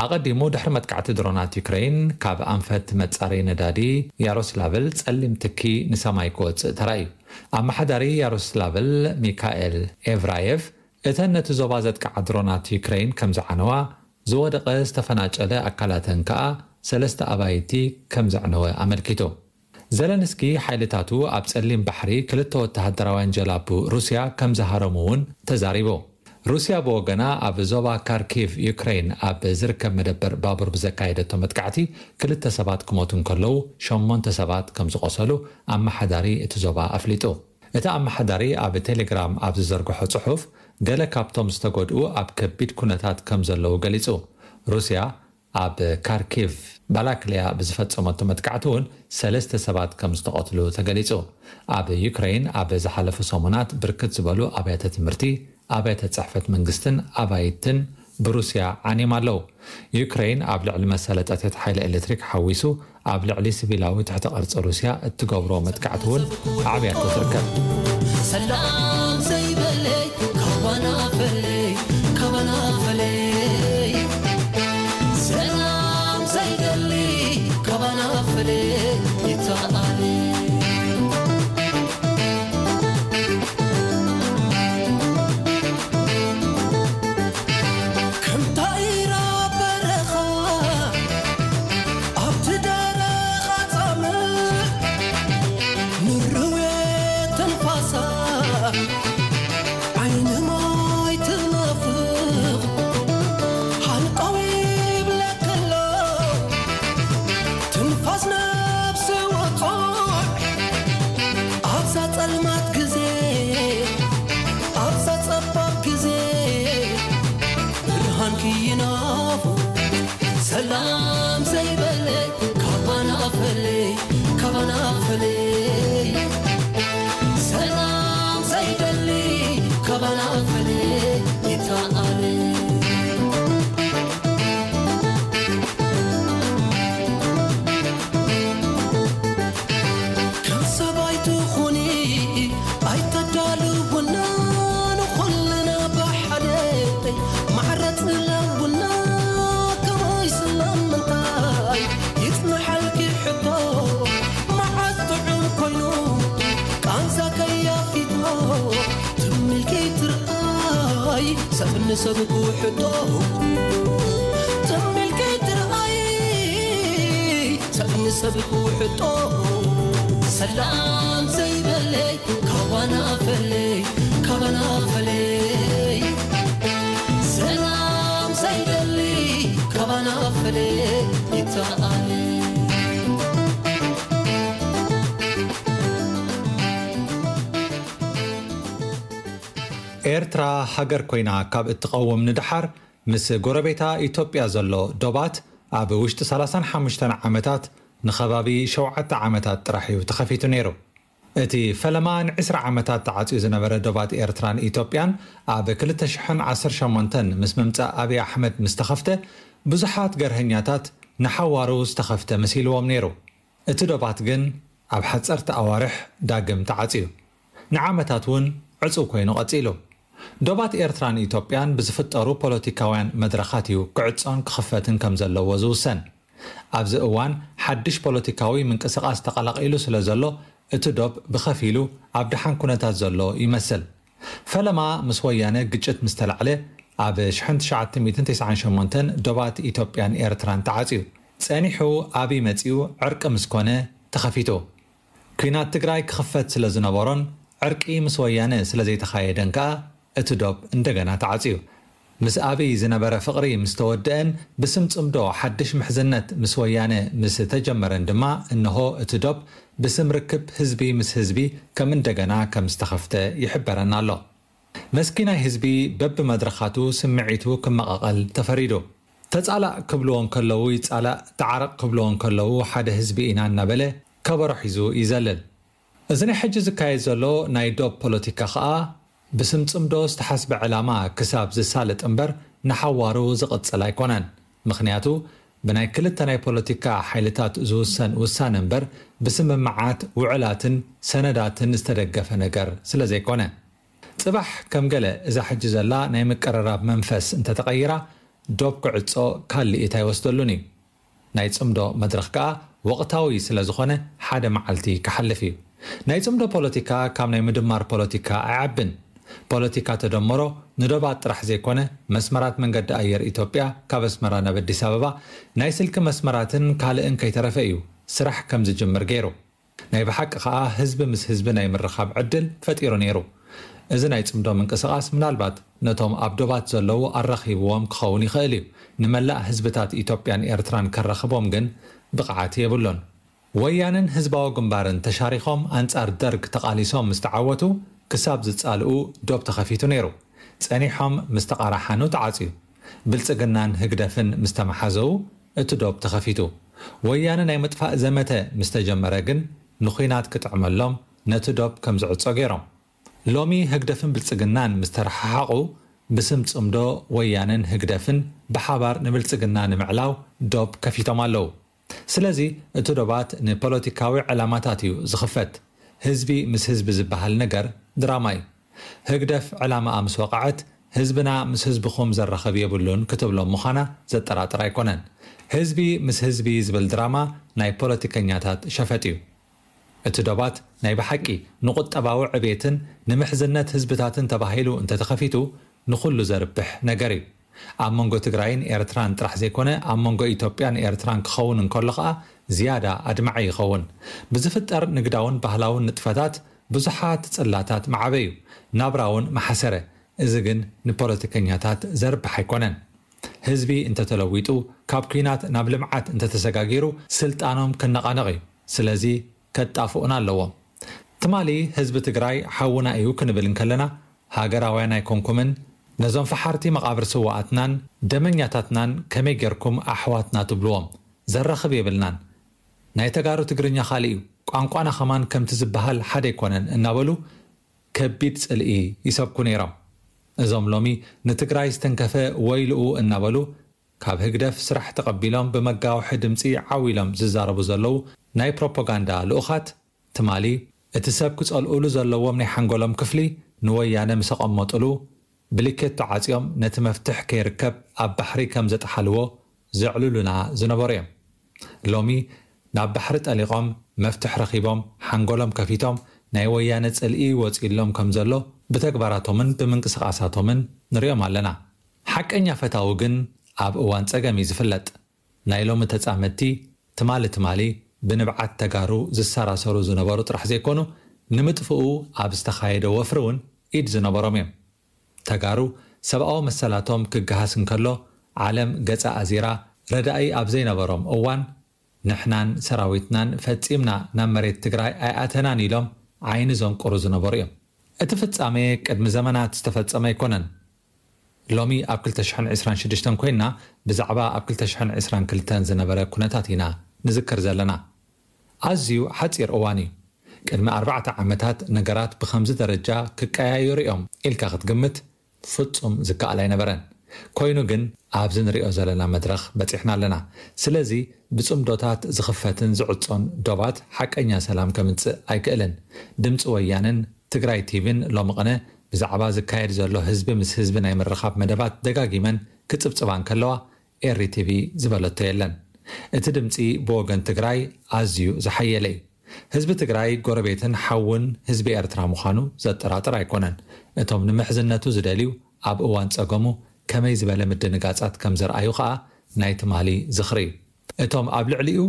ኣቐዲሙ፣ ድሕሪ መጥቃዕቲ ድሮናት ዩክረይን፣ ካብ ኣንፈት መጻረዪ ነዳዲ ያሮስላቭል ጸሊም ትኪ ንሰማይ ክወጽእ ተራእዩ። ኣመሓዳሪ ያሮስላቭል ሚካኤል ኤቭራየቭ፣ እተን ነቲ ዞባ ዘጥቅዓ ድሮናት ዩክረይን ከም ዝዓነዋ፣ ዝወደቐ ዝተፈናጨለ ኣካላተን ከኣ ሰለስተ ኣባይቲ ከም ዘዕነወ ኣመልኪቱ። ዘለንስኪ ሓይልታቱ ኣብ ጸሊም ባሕሪ ክልተ ወተሃደራውያን ጀላቡ ሩስያ ከም ዝሃረሙ እውን ተዛሪቡ። ሩስያ ብወገና ኣብ ዞባ ካርኪቭ ዩክሬን ኣብ ዝርከብ መደበር ባቡር ብዘካየደቶ መጥቃዕቲ ክልተ ሰባት ክሞቱ እንከለዉ ሸሞንተ ሰባት ከም ዝቖሰሉ ኣመሓዳሪ እቲ ዞባ ኣፍሊጡ። እቲ ኣመሓዳሪ ኣብ ቴሌግራም ኣብ ዝዘርግሖ ጽሑፍ ገለ ካብቶም ዝተጎድኡ ኣብ ከቢድ ኩነታት ከም ዘለዉ ገሊጹ። ሩስያ ኣብ ካርኪቭ ባላክሊያ ብዝፈጸመቶ መጥቃዕቲ እውን ሰለስተ ሰባት ከም ዝተቐትሉ ተገሊጹ። ኣብ ዩክሬን ኣብ ዝሓለፉ ሰሙናት ብርክት ዝበሉ ኣብያተ ትምህርቲ፣ ኣብያተ ጽሕፈት መንግስትን ኣባይትን ብሩስያ ዓንዮም ኣለዉ። ዩክሬን ኣብ ልዕሊ መሳለጥያታት ሓይሊ ኤሌክትሪክ ሓዊሱ ኣብ ልዕሊ ሲቪላዊ ትሕተ ቅርጺ ሩስያ እትገብሮ መጥቃዕቲ እውን ኣዕብያቶ ትርከብ። ሰላም ዘይበለይ ካባና ፈለይ፣ ካባና ፈለይ። ሰላም ዘይደሊ ካባና ፈለይ፣ ይተኣለይ። ከም ታኢራ በረኻ ኣብቲ ደረቕ ኣጻምእ፣ ምርዌ ትንፋሳ ዓይኒ ማይ ትናፍቕ፣ ሃንቀው ይብለክሎ ትንፋስ ነፍሲ ወጹዕ። ኣብዛ ጸልማት ግዜ፣ ኣብዛ ጸባብ ግዜ፣ ብርሃንኪ ይናፍቕ። ሰላም ዘይበለ ካባና ፈለይ፣ ካባና ፈለይ። ሰላም ዘይደሊ ካባና ፈለይ፣ ይተኣለ። ከም ሰባይ ትኹኒ ኣይተዳልውና፣ ንኹልና ብሓደ ማዕረ ጽለውና፣ ከመይ ስለምንታይ ይጽንሓልኪ ሕቶ፣ መዓስ ጥዑም ኮይኑ ቃንዛ ከያፊቶ፣ ትም ኢልኪ ትርኣይ ሰብ ንሰብ ክውሕጦ፣ ትም ኢልኪ ትርኣይ ሰብ ንሰብ ክውሕጦ። ሰላም ዘይበለይ ካባና ፈለይ፣ ካባና ፈለይ። ሰላም ዘይደሊ ካባና ፈለይ፣ ይተኣለ። ኤርትራ ሃገር ኮይና ካብ እትቐውም ንደሓር፣ ምስ ጎረቤታ ኢትዮጵያ ዘሎ ዶባት ኣብ ውሽጢ ሰላሳን ሓሙሽተን ዓመታት ንኸባቢ ሸውዓተ ዓመታት ጥራሕ እዩ ተኸፊቱ ነይሩ። እቲ ፈለማ ንዕስራ ዓመታት ተዓጽዩ ዝነበረ ዶባት ኤርትራን ኢትዮጵያን ኣብ ክልተ ሽሕን ዓሰርተ ሸሞንተን ምስ ምምጻእ ኣብይ ኣሕመድ ምስ ተኸፍተ፣ ብዙሓት ገርሀኛታት ንሓዋሩ ዝተኸፍተ መሲልዎም ነይሩ። እቲ ዶባት ግን ኣብ ሓጸርቲ ኣዋርሕ ዳግም ተዓጽዩ፣ ንዓመታት እውን ዕጹው ኮይኑ ቀጺሉ። ዶባት ኤርትራን ኢትዮጵያን ብዝፍጠሩ ፖለቲካውያን መድረኻት እዩ ክዕጾን ክኽፈትን ከም ዘለዎ ዝውሰን። ኣብዚ እዋን ሓድሽ ፖለቲካዊ ምንቅስቓስ ተቐላቒሉ ስለ ዘሎ፣ እቲ ዶብ ብኸፊሉ ኣብ ደሓን ኩነታት ዘሎ ይመስል። ፈለማ ምስ ወያነ ግጭት ምስ ተላዕለ፣ ኣብ ሽሕን ትሽዓተ ሚእትን ተስዓን ሸሞንተን ዶባት ኢትዮጵያን ኤርትራን ተዓጽዩ። ጸኒሑ ኣብይ መጺኡ ዕርቂ ምስ ኮነ ተኸፊቱ። ኲናት ትግራይ ክኽፈት ስለ ዝነበሮን ዕርቂ ምስ ወያነ ስለ ዘይተኻየደን ከኣ፣ እቲ ዶብ እንደገና ተዓጽዩ። ምስ ኣብይ ዝነበረ ፍቕሪ ምስ ተወድአን ብስም ጽምዶ ሓድሽ ምሕዝነት ምስ ወያነ ምስ ተጀመረን ድማ፣ እንሆ እቲ ዶብ ብስም ርክብ ህዝቢ ምስ ህዝቢ ከም እንደገና ከም ዝተኸፍተ ይሕበረና ኣሎ። መስኪናይ ህዝቢ በብመድረኻቱ ስምዒቱ ክመቓቐል ተፈሪዱ። ተጻላእ ክብልዎ እንከለዉ ይጻላእ፣ ተዓረቕ ክብልዎ እንከለዉ ሓደ ህዝቢ ኢና እናበለ ከበሮ ሒዙ ይዘልል። እዚ ናይ ሕጂ ዝካየድ ዘሎ ናይ ዶብ ፖለቲካ ኸኣ ብስም ጽምዶ ዝተሓስበ ዕላማ ክሳብ ዝሳለጥ እምበር ንሓዋሩ ዝቕጽል ኣይኮነን። ምኽንያቱ ብናይ ክልተ ናይ ፖለቲካ ሓይልታት ዝውሰን ውሳነ እምበር ብስምምዓት፣ ውዕላትን ሰነዳትን ዝተደገፈ ነገር ስለ ዘይኮነ። ጽባሕ ከም ገለ እዛ ሕጂ ዘላ ናይ ምቅርራብ መንፈስ እንተተቐይራ ዶብ ክዕጾ ካልእ ኣይወስደሉን እዩ። ናይ ጽምዶ መድረኽ ከኣ ወቕታዊ ስለ ዝኾነ ሓደ መዓልቲ ክሓልፍ እዩ። ናይ ጽምዶ ፖለቲካ ካብ ናይ ምድማር ፖለቲካ ኣይዓብን። ፖለቲካ ተደምሮ ንዶባት ጥራሕ ዘይኮነ መስመራት መንገዲ ኣየር ኢትዮጵያ ካብ ኣስመራ ናብ ኣዲስ ኣበባ ናይ ስልኪ መስመራትን ካልእን ከይተረፈ እዩ ስራሕ ከም ዝጅምር ገይሩ። ናይ ብሓቂ ከኣ ህዝቢ ምስ ህዝቢ ናይ ምርኻብ ዕድል ፈጢሩ ነይሩ። እዚ ናይ ጽምዶ ምንቅስቓስ ምናልባት ነቶም ኣብ ዶባት ዘለዉ ኣራኺብዎም ክኸውን ይኽእል እዩ። ንመላእ ህዝብታት ኢትዮጵያን ኤርትራን ከራኽቦም ግን ብቕዓት የብሉን። ወያነን ህዝባዊ ግንባርን ተሻሪኾም ኣንጻር ደርግ ተቓሊሶም ምስ ተዓወቱ፣ ክሳብ ዝጻልኡ ዶብ ተኸፊቱ ነይሩ። ጸኒሖም ምስ ተቓራሓኑ ተዓጽዩ። ብልጽግናን ህግደፍን ምስ ተመሓዘዉ እቲ ዶብ ተኸፊቱ። ወያነ ናይ ምጥፋእ ዘመተ ምስ ተጀመረ ግን ንኹናት ክጥዕመሎም ነቲ ዶብ ከም ዝዕጾ ገይሮም። ሎሚ ህግደፍን ብልጽግናን ምስ ተረሓሓቑ ብስም ጽምዶ ወያነን ህግደፍን ብሓባር ንብልጽግና ንምዕላው ዶብ ከፊቶም ኣለዉ። ስለዚ እቲ ዶባት ንፖለቲካዊ ዕላማታት እዩ ዝኽፈት። ህዝቢ ምስ ህዝቢ ዝበሃል ነገር ድራማ እዩ። ህግደፍ ዕላማኣ ምስ ወቕዐት ህዝብና ምስ ህዝብኹም ዘራኽብ የብሉን ክትብሎም ምዃና ዘጠራጥር ኣይኮነን። ህዝቢ ምስ ህዝቢ ዝብል ድራማ ናይ ፖለቲከኛታት ሸፈጥ እዩ። እቲ ዶባት ናይ ብሓቂ ንቁጠባዊ ዕቤትን ንምሕዝነት ህዝብታትን ተባሂሉ እንተተኸፊቱ ንኹሉ ዘርብሕ ነገር እዩ። ኣብ መንጎ ትግራይን ኤርትራን ጥራሕ ዘይኮነ ኣብ መንጎ ኢትዮጵያን ኤርትራን ክኸውን እንከሎ ኸኣ ዝያዳ ኣድማዒ ይኸውን። ብዝፍጠር ንግዳውን ባህላውን ንጥፈታት ብዙሓት ጽላታት መዓበዩ፣ ናብራ እውን መሓሰረ። እዚ ግን ንፖለቲከኛታት ዘርብሕ ኣይኮነን። ህዝቢ እንተተለዊጡ፣ ካብ ኲናት ናብ ልምዓት እንተተሰጋጊሩ ስልጣኖም ክነቓነቕ እዩ። ስለዚ ከጣፍኡና ኣለዎም። ትማሊ ህዝቢ ትግራይ ሓውና እዩ ክንብል እንከለና ሃገራውያን ኣይኮንኩምን፣ ነዞም ፈሓርቲ መቓብር ስውኣትናን ደመኛታትናን ከመይ ጌርኩም ኣሕዋትና ትብልዎም? ዘራኽብ የብልናን። ናይ ተጋሩ ትግርኛ ካልእ እዩ፣ ቋንቋና ኸማን ከምቲ ዝበሃል ሓደ ኣይኮነን እናበሉ ከቢድ ጽልኢ ይሰብኩ ነይሮም። እዞም ሎሚ ንትግራይ ዝተንከፈ ወይልኡ እናበሉ ካብ ህግደፍ ስራሕ ተቐቢሎም ብመጋውሒ ድምጺ ዓው ኢሎም ዝዛረቡ ዘለዉ ናይ ፕሮፓጋንዳ ልኡኻት ትማሊ እቲ ሰብ ክጸልኡሉ ዘለዎም ናይ ሓንጎሎም ክፍሊ ንወያነ ምስ ኣቐመጡሉ ብሊኬቶ ዓጽዮም ነቲ መፍትሕ ከይርከብ ኣብ ባሕሪ ከም ዘጥሓልዎ ዘዕልሉና ዝነበሩ እዮም። ሎሚ ናብ ባሕሪ ጠሊቖም መፍትሕ ረኺቦም ሓንጎሎም ከፊቶም ናይ ወያነ ጽልኢ ወጺእሎም ከም ዘሎ ብተግባራቶምን ብምንቅስቓሳቶምን ንሪኦም ኣለና። ሓቀኛ ፈታዊ ግን ኣብ እዋን ጸገም እዩ ዝፍለጥ። ናይ ሎሚ ተጻመድቲ ትማሊ ትማሊ ብንብዓት ተጋሩ ዝሰራሰሩ ዝነበሩ ጥራሕ ዘይኮኑ፣ ንምጥፍኡ ኣብ ዝተኻየደ ወፍሪ እውን ኢድ ዝነበሮም እዮም። ተጋሩ ሰብኣዊ መሰላቶም ክገሃስ እንከሎ ዓለም ገጻ ኣዚራ ረዳኢ ኣብ ዘይነበሮም እዋን ንሕናን ሰራዊትናን ፈጺምና ናብ መሬት ትግራይ ኣይኣተናን ኢሎም ዓይኒ ዘንቁሩ ዝነበሩ እዮም። እቲ ፍጻሜ ቅድሚ ዘመናት ዝተፈጸመ ኣይኮነን። ሎሚ ኣብ ክልተ ሽሕን ዕስራን ሽዱሽተን ኮይንና ብዛዕባ ኣብ ክልተ ሽሕን ዕስራን ክልተን ዝነበረ ኩነታት ኢና ንዝክር ዘለና። ኣዝዩ ሓጺር እዋን እዩ። ቅድሚ ኣርባዕተ ዓመታት ነገራት ብኸምዚ ደረጃ ክቀያየሩ እዮም ኢልካ ክትግምት ፍጹም ዝከኣል ኣይነበረን። ኮይኑ ግን ኣብዚ ንሪኦ ዘለና መድረኽ በጺሕና ኣለና። ስለዚ ብጽምዶታት ዝኽፈትን ዝዕጾን ዶባት ሓቀኛ ሰላም ከምጽእ ኣይክእልን። ድምፂ ወያነን ትግራይ ቲቪን ሎሚ ቅነ ብዛዕባ ዝካየድ ዘሎ ህዝቢ ምስ ህዝቢ ናይ ምርኻብ መደባት ደጋጊመን ክጽብጽባ እንከለዋ ኤሪ ቲቪ ዝበለቶ የለን። እቲ ድምፂ ብወገን ትግራይ ኣዝዩ ዝሓየለ እዩ። ህዝቢ ትግራይ ጎረቤትን ሓውን ህዝቢ ኤርትራ ምዃኑ ዘጠራጥር ኣይኮነን። እቶም ንምሕዝነቱ ዝደልዩ ኣብ እዋን ጸገሙ ከመይ ዝበለ ምድንጋጻት ከም ዘርኣዩ ኸኣ ናይ ትማሊ ዝኽሪ እዩ። እቶም ኣብ ልዕሊኡ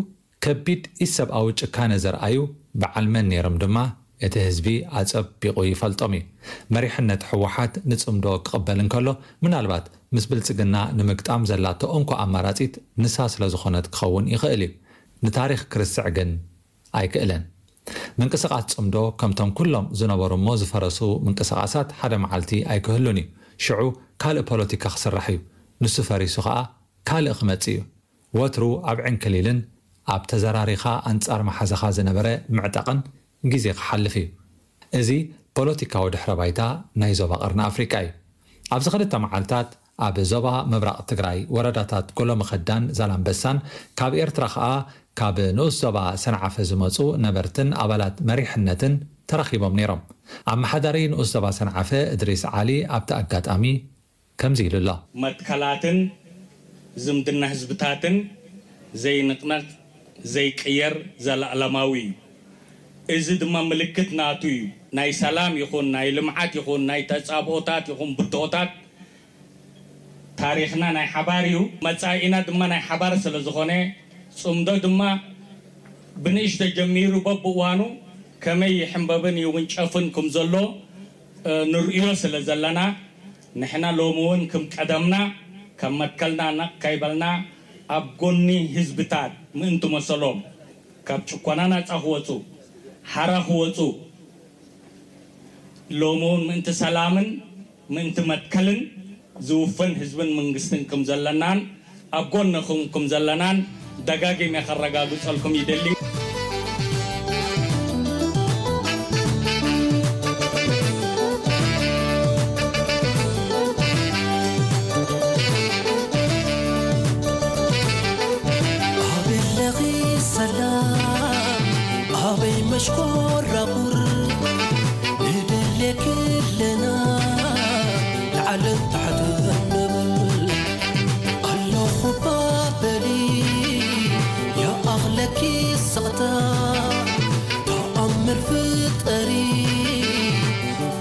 ከቢድ ኢሰብኣዊ ጭካነ ዘርኣዩ በዓል መን ነይሮም ድማ እቲ ህዝቢ ኣጸቢቑ ይፈልጦም እዩ። መሪሕነት ህወሓት ንጽምዶ ክቕበል እንከሎ ምናልባት ምስ ብልጽግና ንምግጣም ዘላቶ እንኮ ኣማራጺት ንሳ ስለ ዝኾነት ክኸውን ይኽእል እዩ። ንታሪኽ ክርስዕ ግን ኣይክእልን። ምንቅስቓስ ጽምዶ ከምቶም ኩሎም ዝነበሩ እሞ ዝፈረሱ ምንቅስቓሳት ሓደ መዓልቲ ኣይክህሉን እዩ። ሽዑ ካልእ ፖለቲካ ክስራሕ እዩ። ንሱ ፈሪሱ ኸኣ ካልእ ክመጽእ እዩ። ወትሩ ኣብ ዕንክሊልን ኣብ ተዘራሪኻ ኣንጻር መሓዛኻ ዝነበረ ምዕጣቕን ግዜ ክሓልፍ እዩ። እዚ ፖለቲካዊ ድሕረ ባይታ ናይ ዞባ ቀርኒ ኣፍሪቃ እዩ። ኣብዚ ክልተ መዓልታት ኣብ ዞባ ምብራቕ ትግራይ ወረዳታት ጎሎመኸዳን ዛላምበሳን ካብ ኤርትራ ኸኣ ካብ ንኡስ ዞባ ሰንዓፈ ዝመጹ ነበርትን ኣባላት መሪሕነትን ተረኺቦም ነይሮም። ኣመሓዳሪ ንኡስ ዞባ ሰንዓፈ እድሪስ ዓሊ ኣብቲ ኣጋጣሚ ከምዚ ኢሉ ኣሎ። መትከላትን ዝምድና ህዝብታትን ዘይንቕነቕ ዘይቅየር ዘለኣለማዊ እዩ። እዚ ድማ ምልክት ናቱ እዩ። ናይ ሰላም ይኹን ናይ ልምዓት ይኹን ናይ ተጻብኦታት ይኹን ብድሆታት ታሪኽና ናይ ሓባር እዩ። መጻኢና ድማ ናይ ሓባር ስለ ዝኾነ ጽምዶ ድማ ብንእሽቶ ጀሚሩ በብእዋኑ ከመይ ይሕንበብን ይውንጨፍን ከም ዘሎ፣ እ፣ ንርእዮ ስለ ዘለና፣ ንሕና ሎሚ እውን ከም ቀደምና ካብ መትከልና ነቕ ከይበልና ኣብ ጎኒ ህዝብታት ምእንቲ መሰሎም ካብ ጭቆና ናጻ ክወጹ፣ ሓራ ክወጹ፣ ሎሚ እውን ምእንቲ ሰላምን ምእንቲ መትከልን ዝውፈን ህዝብን መንግስትን ከም ዘለናን ኣብ ጎንኹም ከም ዘለናን ደጋጊመ ከረጋግጸልኩም ይደሊ። ኣበይ ኣለኺ ሰላም፣ ኣበይ መሽኮራኹር፣ ንደልየኪ ኣለና፣ ላዕልን ታሕትን ንብል። ኣለኹ እባ በሊ፣ ይኣኽለኪ ስቕታ፣ ተኣምር ፍጠሪ፣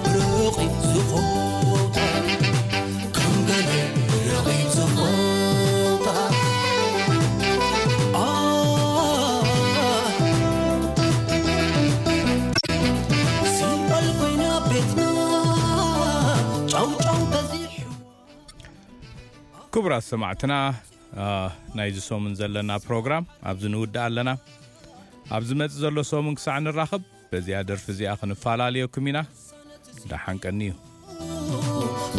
ብርቕ ዝኾታ። ከም ገለ ረቒቕ ዝኾታ። ኣ፣ ሲኦል ኮይና ቤትና፣ ጫው ጫው በዚሑ። ክቡራት ሰማዕትና፣ አ፣ ናይዚ ሰሙን ዘለና ፕሮግራም ኣብዚ ንውድእ ኣለና። ኣብ ዝመጽእ ዘሎ ሰሙን ክሳዕ ንራኸብ፣ በዚኣ ደርፊ እዚኣ ክንፈላለየኩም ኢና። ደሓን ቀንዩ።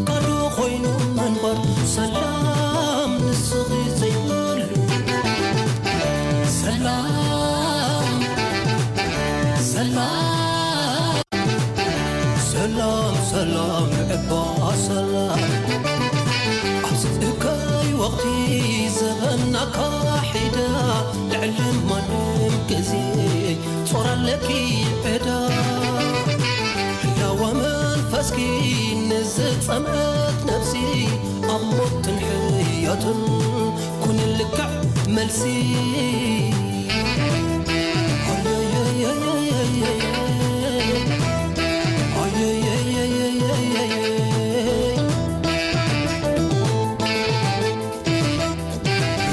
ባዶ ኮይኑ ምንባር ሰላም ንስኺ ዘይብሉ። ሰላም፣ ሰላም፣ ሰላም፣ ሰላም፣ እባ ሰላም። ኣብዚ እከይ ወቕቲ ዘበና ካሒዳ፣ ልዕሊ ማንም ግዜ ጾር ኣለኪ ዕዳ። ህላወ መንፈስኪ ንዝጸምአት ነፍሲ፣ ኣብ ሞትን ሕያትን ኩኒ ልክዕ መልሲ።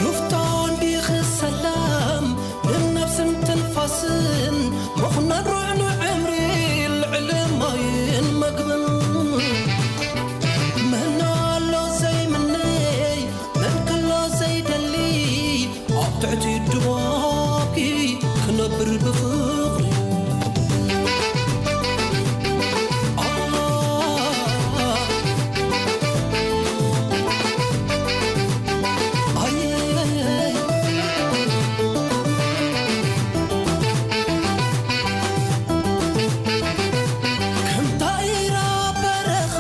ሩፍታ እንዲኺ ሰላም ንነብስን ትንፋስን፣ ምኹናን ርዕኑዕ ዕምሪ ልዕሊ ማይን መግብን። መን ኣሎ ዘይምነይ፣ መን ከሎ ዘይደሊ፣ ኣብ ትሕቲ ድባብኪ ክነብር ብፍቕሪ። ከምታ ኢራ በረኻ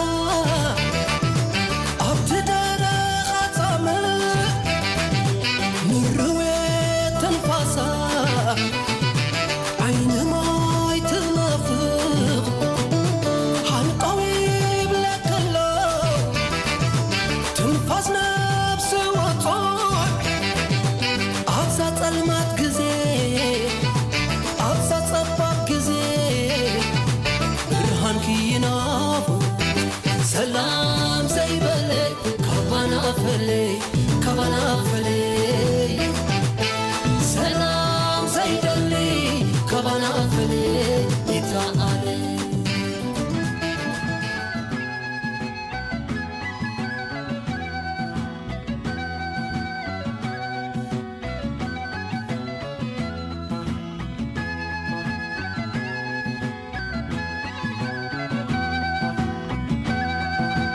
ኣብቲ ደረኻ ጻምእ፣ ምርዌ ትንፋሳ ዓይኒ ማይ ትናፍቕ፣ ሃንቀው ይብለኪ ኣሎ ትንፋስ ነፍሲ ወጹዕ። ኣብዛ ጸልማት ግዜ፣ ኣብዛ ጸባብ ግዜ፣ ብርሃንኪ ይናፍቕ። ሰላም ዘይበለ ካባና ፈለይ፣ ካባና ፈለይ።